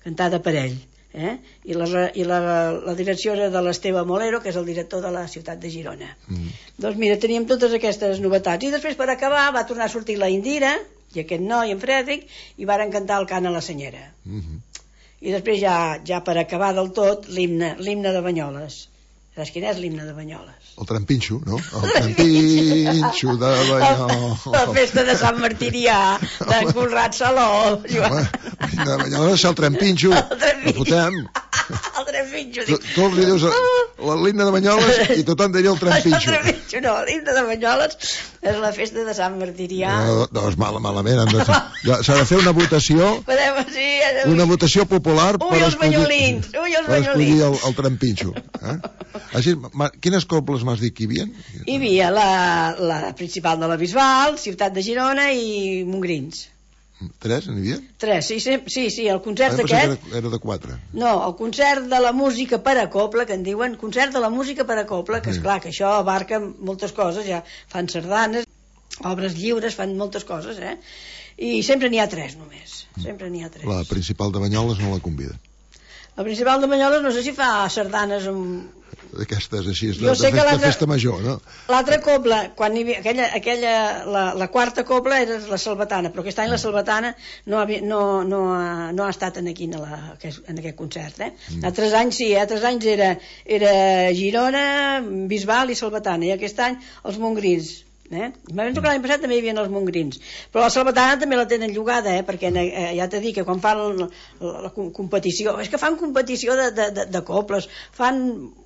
[SPEAKER 17] cantada per ell. Eh? I, la, i la, la direcció era de l'Esteve Molero, que és el director de la Ciutat de Girona. Mm. Doncs mira, teníem totes aquestes novetats. I després, per acabar, va tornar a sortir la Indira i aquest noi, en Frederic, i varen cantar el cant a la senyera. Mm-hmm. I després ja, ja per acabar del tot, l'himne, l'himne de Banyoles. Saps quin és l'himne de Banyoles?
[SPEAKER 10] El trampinxo, no? El trampinxo de Banyoles.
[SPEAKER 17] La festa de Sant Martirià, d'en Conrad Saló.
[SPEAKER 10] Home, de Banyoles és el trampinxo. El trampinxo.
[SPEAKER 17] El trampinxo. Tu,
[SPEAKER 10] tu li dius l'himne de Banyoles i tothom diria el trampinxo.
[SPEAKER 17] El trampinxo, no, l'himne de Banyoles és la festa de Sant Martirià.
[SPEAKER 10] No, doncs mal, malament. S'ha de fer una votació,
[SPEAKER 17] Podem, sí,
[SPEAKER 10] una votació popular
[SPEAKER 17] ui, per escollir, banyolins, ui, els
[SPEAKER 10] per escollir el, el trampinxo. Eh? Així, quines cobles m'has dit que hi havia?
[SPEAKER 17] Hi havia la, la principal de la Bisbal, Ciutat de Girona i Montgrins.
[SPEAKER 10] Tres, n'hi havia?
[SPEAKER 17] Tres, sí, sí, sí, sí el concert
[SPEAKER 10] ah,
[SPEAKER 17] aquest...
[SPEAKER 10] Era, era de quatre.
[SPEAKER 17] No, el concert de la música per a coble, que en diuen, concert de la música per a coble, que esclar, que això abarca moltes coses, ja fan sardanes, obres lliures, fan moltes coses, eh? I sempre n'hi ha tres només, sempre n'hi ha tres.
[SPEAKER 10] La principal de Banyoles no la convida.
[SPEAKER 17] La principal de Banyoles no sé si fa sardanes amb...
[SPEAKER 10] D'aquestes així, de, de, festa, de festa major, no?
[SPEAKER 17] L'altra cobla, quan hi havia, aquella, aquella la, la quarta cobla era la Salvatana, però aquest any la Salvatana no, havia, no, no, ha, no ha estat en, aquí, en, la, en aquest concert, eh? Mm. Altres anys sí, altres anys era, era Girona, Bisbal i Salvatana, i aquest any els Montgrins. Eh? M'havien tocat l'any passat també hi havia els Montgrins, però la Salvatana també la tenen llogada, eh? Perquè eh, ja t'he dit que quan fan la, la, la competició, és que fan competició de, de, de, de cobles, fan,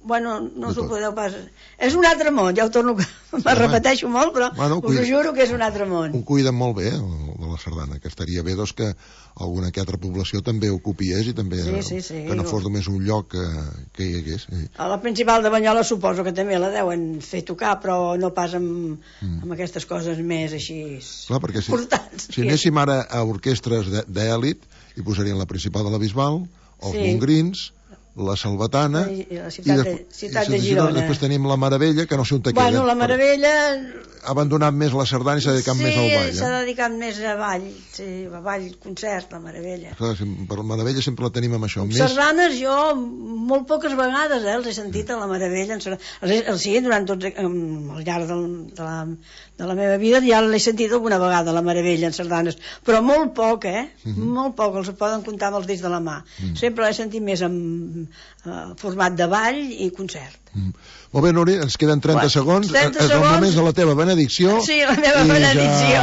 [SPEAKER 17] bueno, no us ho podeu pas, és un altre món, ja ho torno, me repeteixo molt, però bueno, us ho juro que és un altre món.
[SPEAKER 10] Ho cuiden molt bé, el de la sardana, que estaria bé doncs, que alguna que altra població també ho copiés i també
[SPEAKER 17] sí, sí, sí,
[SPEAKER 10] que no fos només un lloc que, que hi hagués. Sí.
[SPEAKER 17] A la principal de Banyoles suposo que també la deuen fer tocar, però no pas amb, mm. amb aquestes coses més així
[SPEAKER 10] clar, perquè si,
[SPEAKER 17] portants.
[SPEAKER 10] Si anéssim ara a orquestres d'èlit, hi posarien la principal de la Bisbal, els sí. Montgrins, la Salvatana
[SPEAKER 17] i, i la ciutat, i de, de, ciutat i de Girona.
[SPEAKER 10] Després tenim la Meravella, que no sé on te queda.
[SPEAKER 17] Bueno, la Meravella...
[SPEAKER 10] Ha abandonat més la sardana i s'ha dedicat
[SPEAKER 17] sí,
[SPEAKER 10] més al ball.
[SPEAKER 17] Sí, s'ha dedicat més a ball, sí, a ball, concert, la Meravella.
[SPEAKER 10] Clar, per la Meravella sempre la tenim amb això.
[SPEAKER 17] Més... Sardanes jo molt poques vegades eh, els he sentit a la Meravella. Els he, els he durant tot, al llarg del, de, la, de la meva vida ja l'he sentit alguna vegada, la Meravella, en sardanes, però molt poc, eh? Mm-hmm. Molt poc, els poden comptar amb els dits de la mà. Mm. Sempre l'he sentit més en uh, format de ball i concert. Mm.
[SPEAKER 10] Molt bé, Núria, ens queden trenta bueno, segons.
[SPEAKER 17] trenta
[SPEAKER 10] és
[SPEAKER 17] segons.
[SPEAKER 10] El moment de la teva benedicció.
[SPEAKER 17] Sí, la meva benedicció.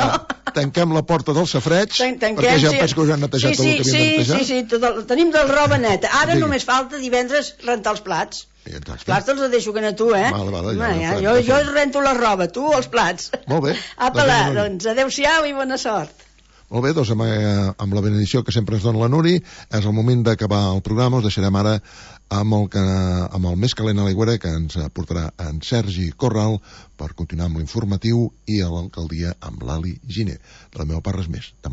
[SPEAKER 10] Ja tanquem la porta del safreig,
[SPEAKER 17] Tanquem,
[SPEAKER 10] perquè ja
[SPEAKER 17] sí.
[SPEAKER 10] penso que us han netejat
[SPEAKER 17] sí, sí,
[SPEAKER 10] tot el que havien de
[SPEAKER 17] sí,
[SPEAKER 10] netejar.
[SPEAKER 17] sí, sí, tot el, tenim del roba neta. Ara
[SPEAKER 10] Digui.
[SPEAKER 17] només falta divendres rentar els plats.
[SPEAKER 10] Exacte.
[SPEAKER 17] Els plats te'ls deixo que a tu, eh?
[SPEAKER 10] Vale, vale, ja,
[SPEAKER 17] Home,
[SPEAKER 10] ja
[SPEAKER 17] ja,
[SPEAKER 10] farem,
[SPEAKER 17] jo,
[SPEAKER 10] ja
[SPEAKER 17] jo
[SPEAKER 10] farem.
[SPEAKER 17] rento la roba, tu els plats.
[SPEAKER 10] Molt bé.
[SPEAKER 17] Apa, la,
[SPEAKER 10] Doncs,
[SPEAKER 17] doncs adeu-siau i bona sort.
[SPEAKER 10] Molt bé, doncs amb, eh, amb la benedició que sempre ens dona la Nuri, és el moment d'acabar el programa. Us deixarem ara amb el, que, amb el més calent a l'aigüera, que ens portarà en Sergi Corral per continuar amb l'informatiu, i a l'alcaldia amb l'Ali Giner. De la meva part res més. Demà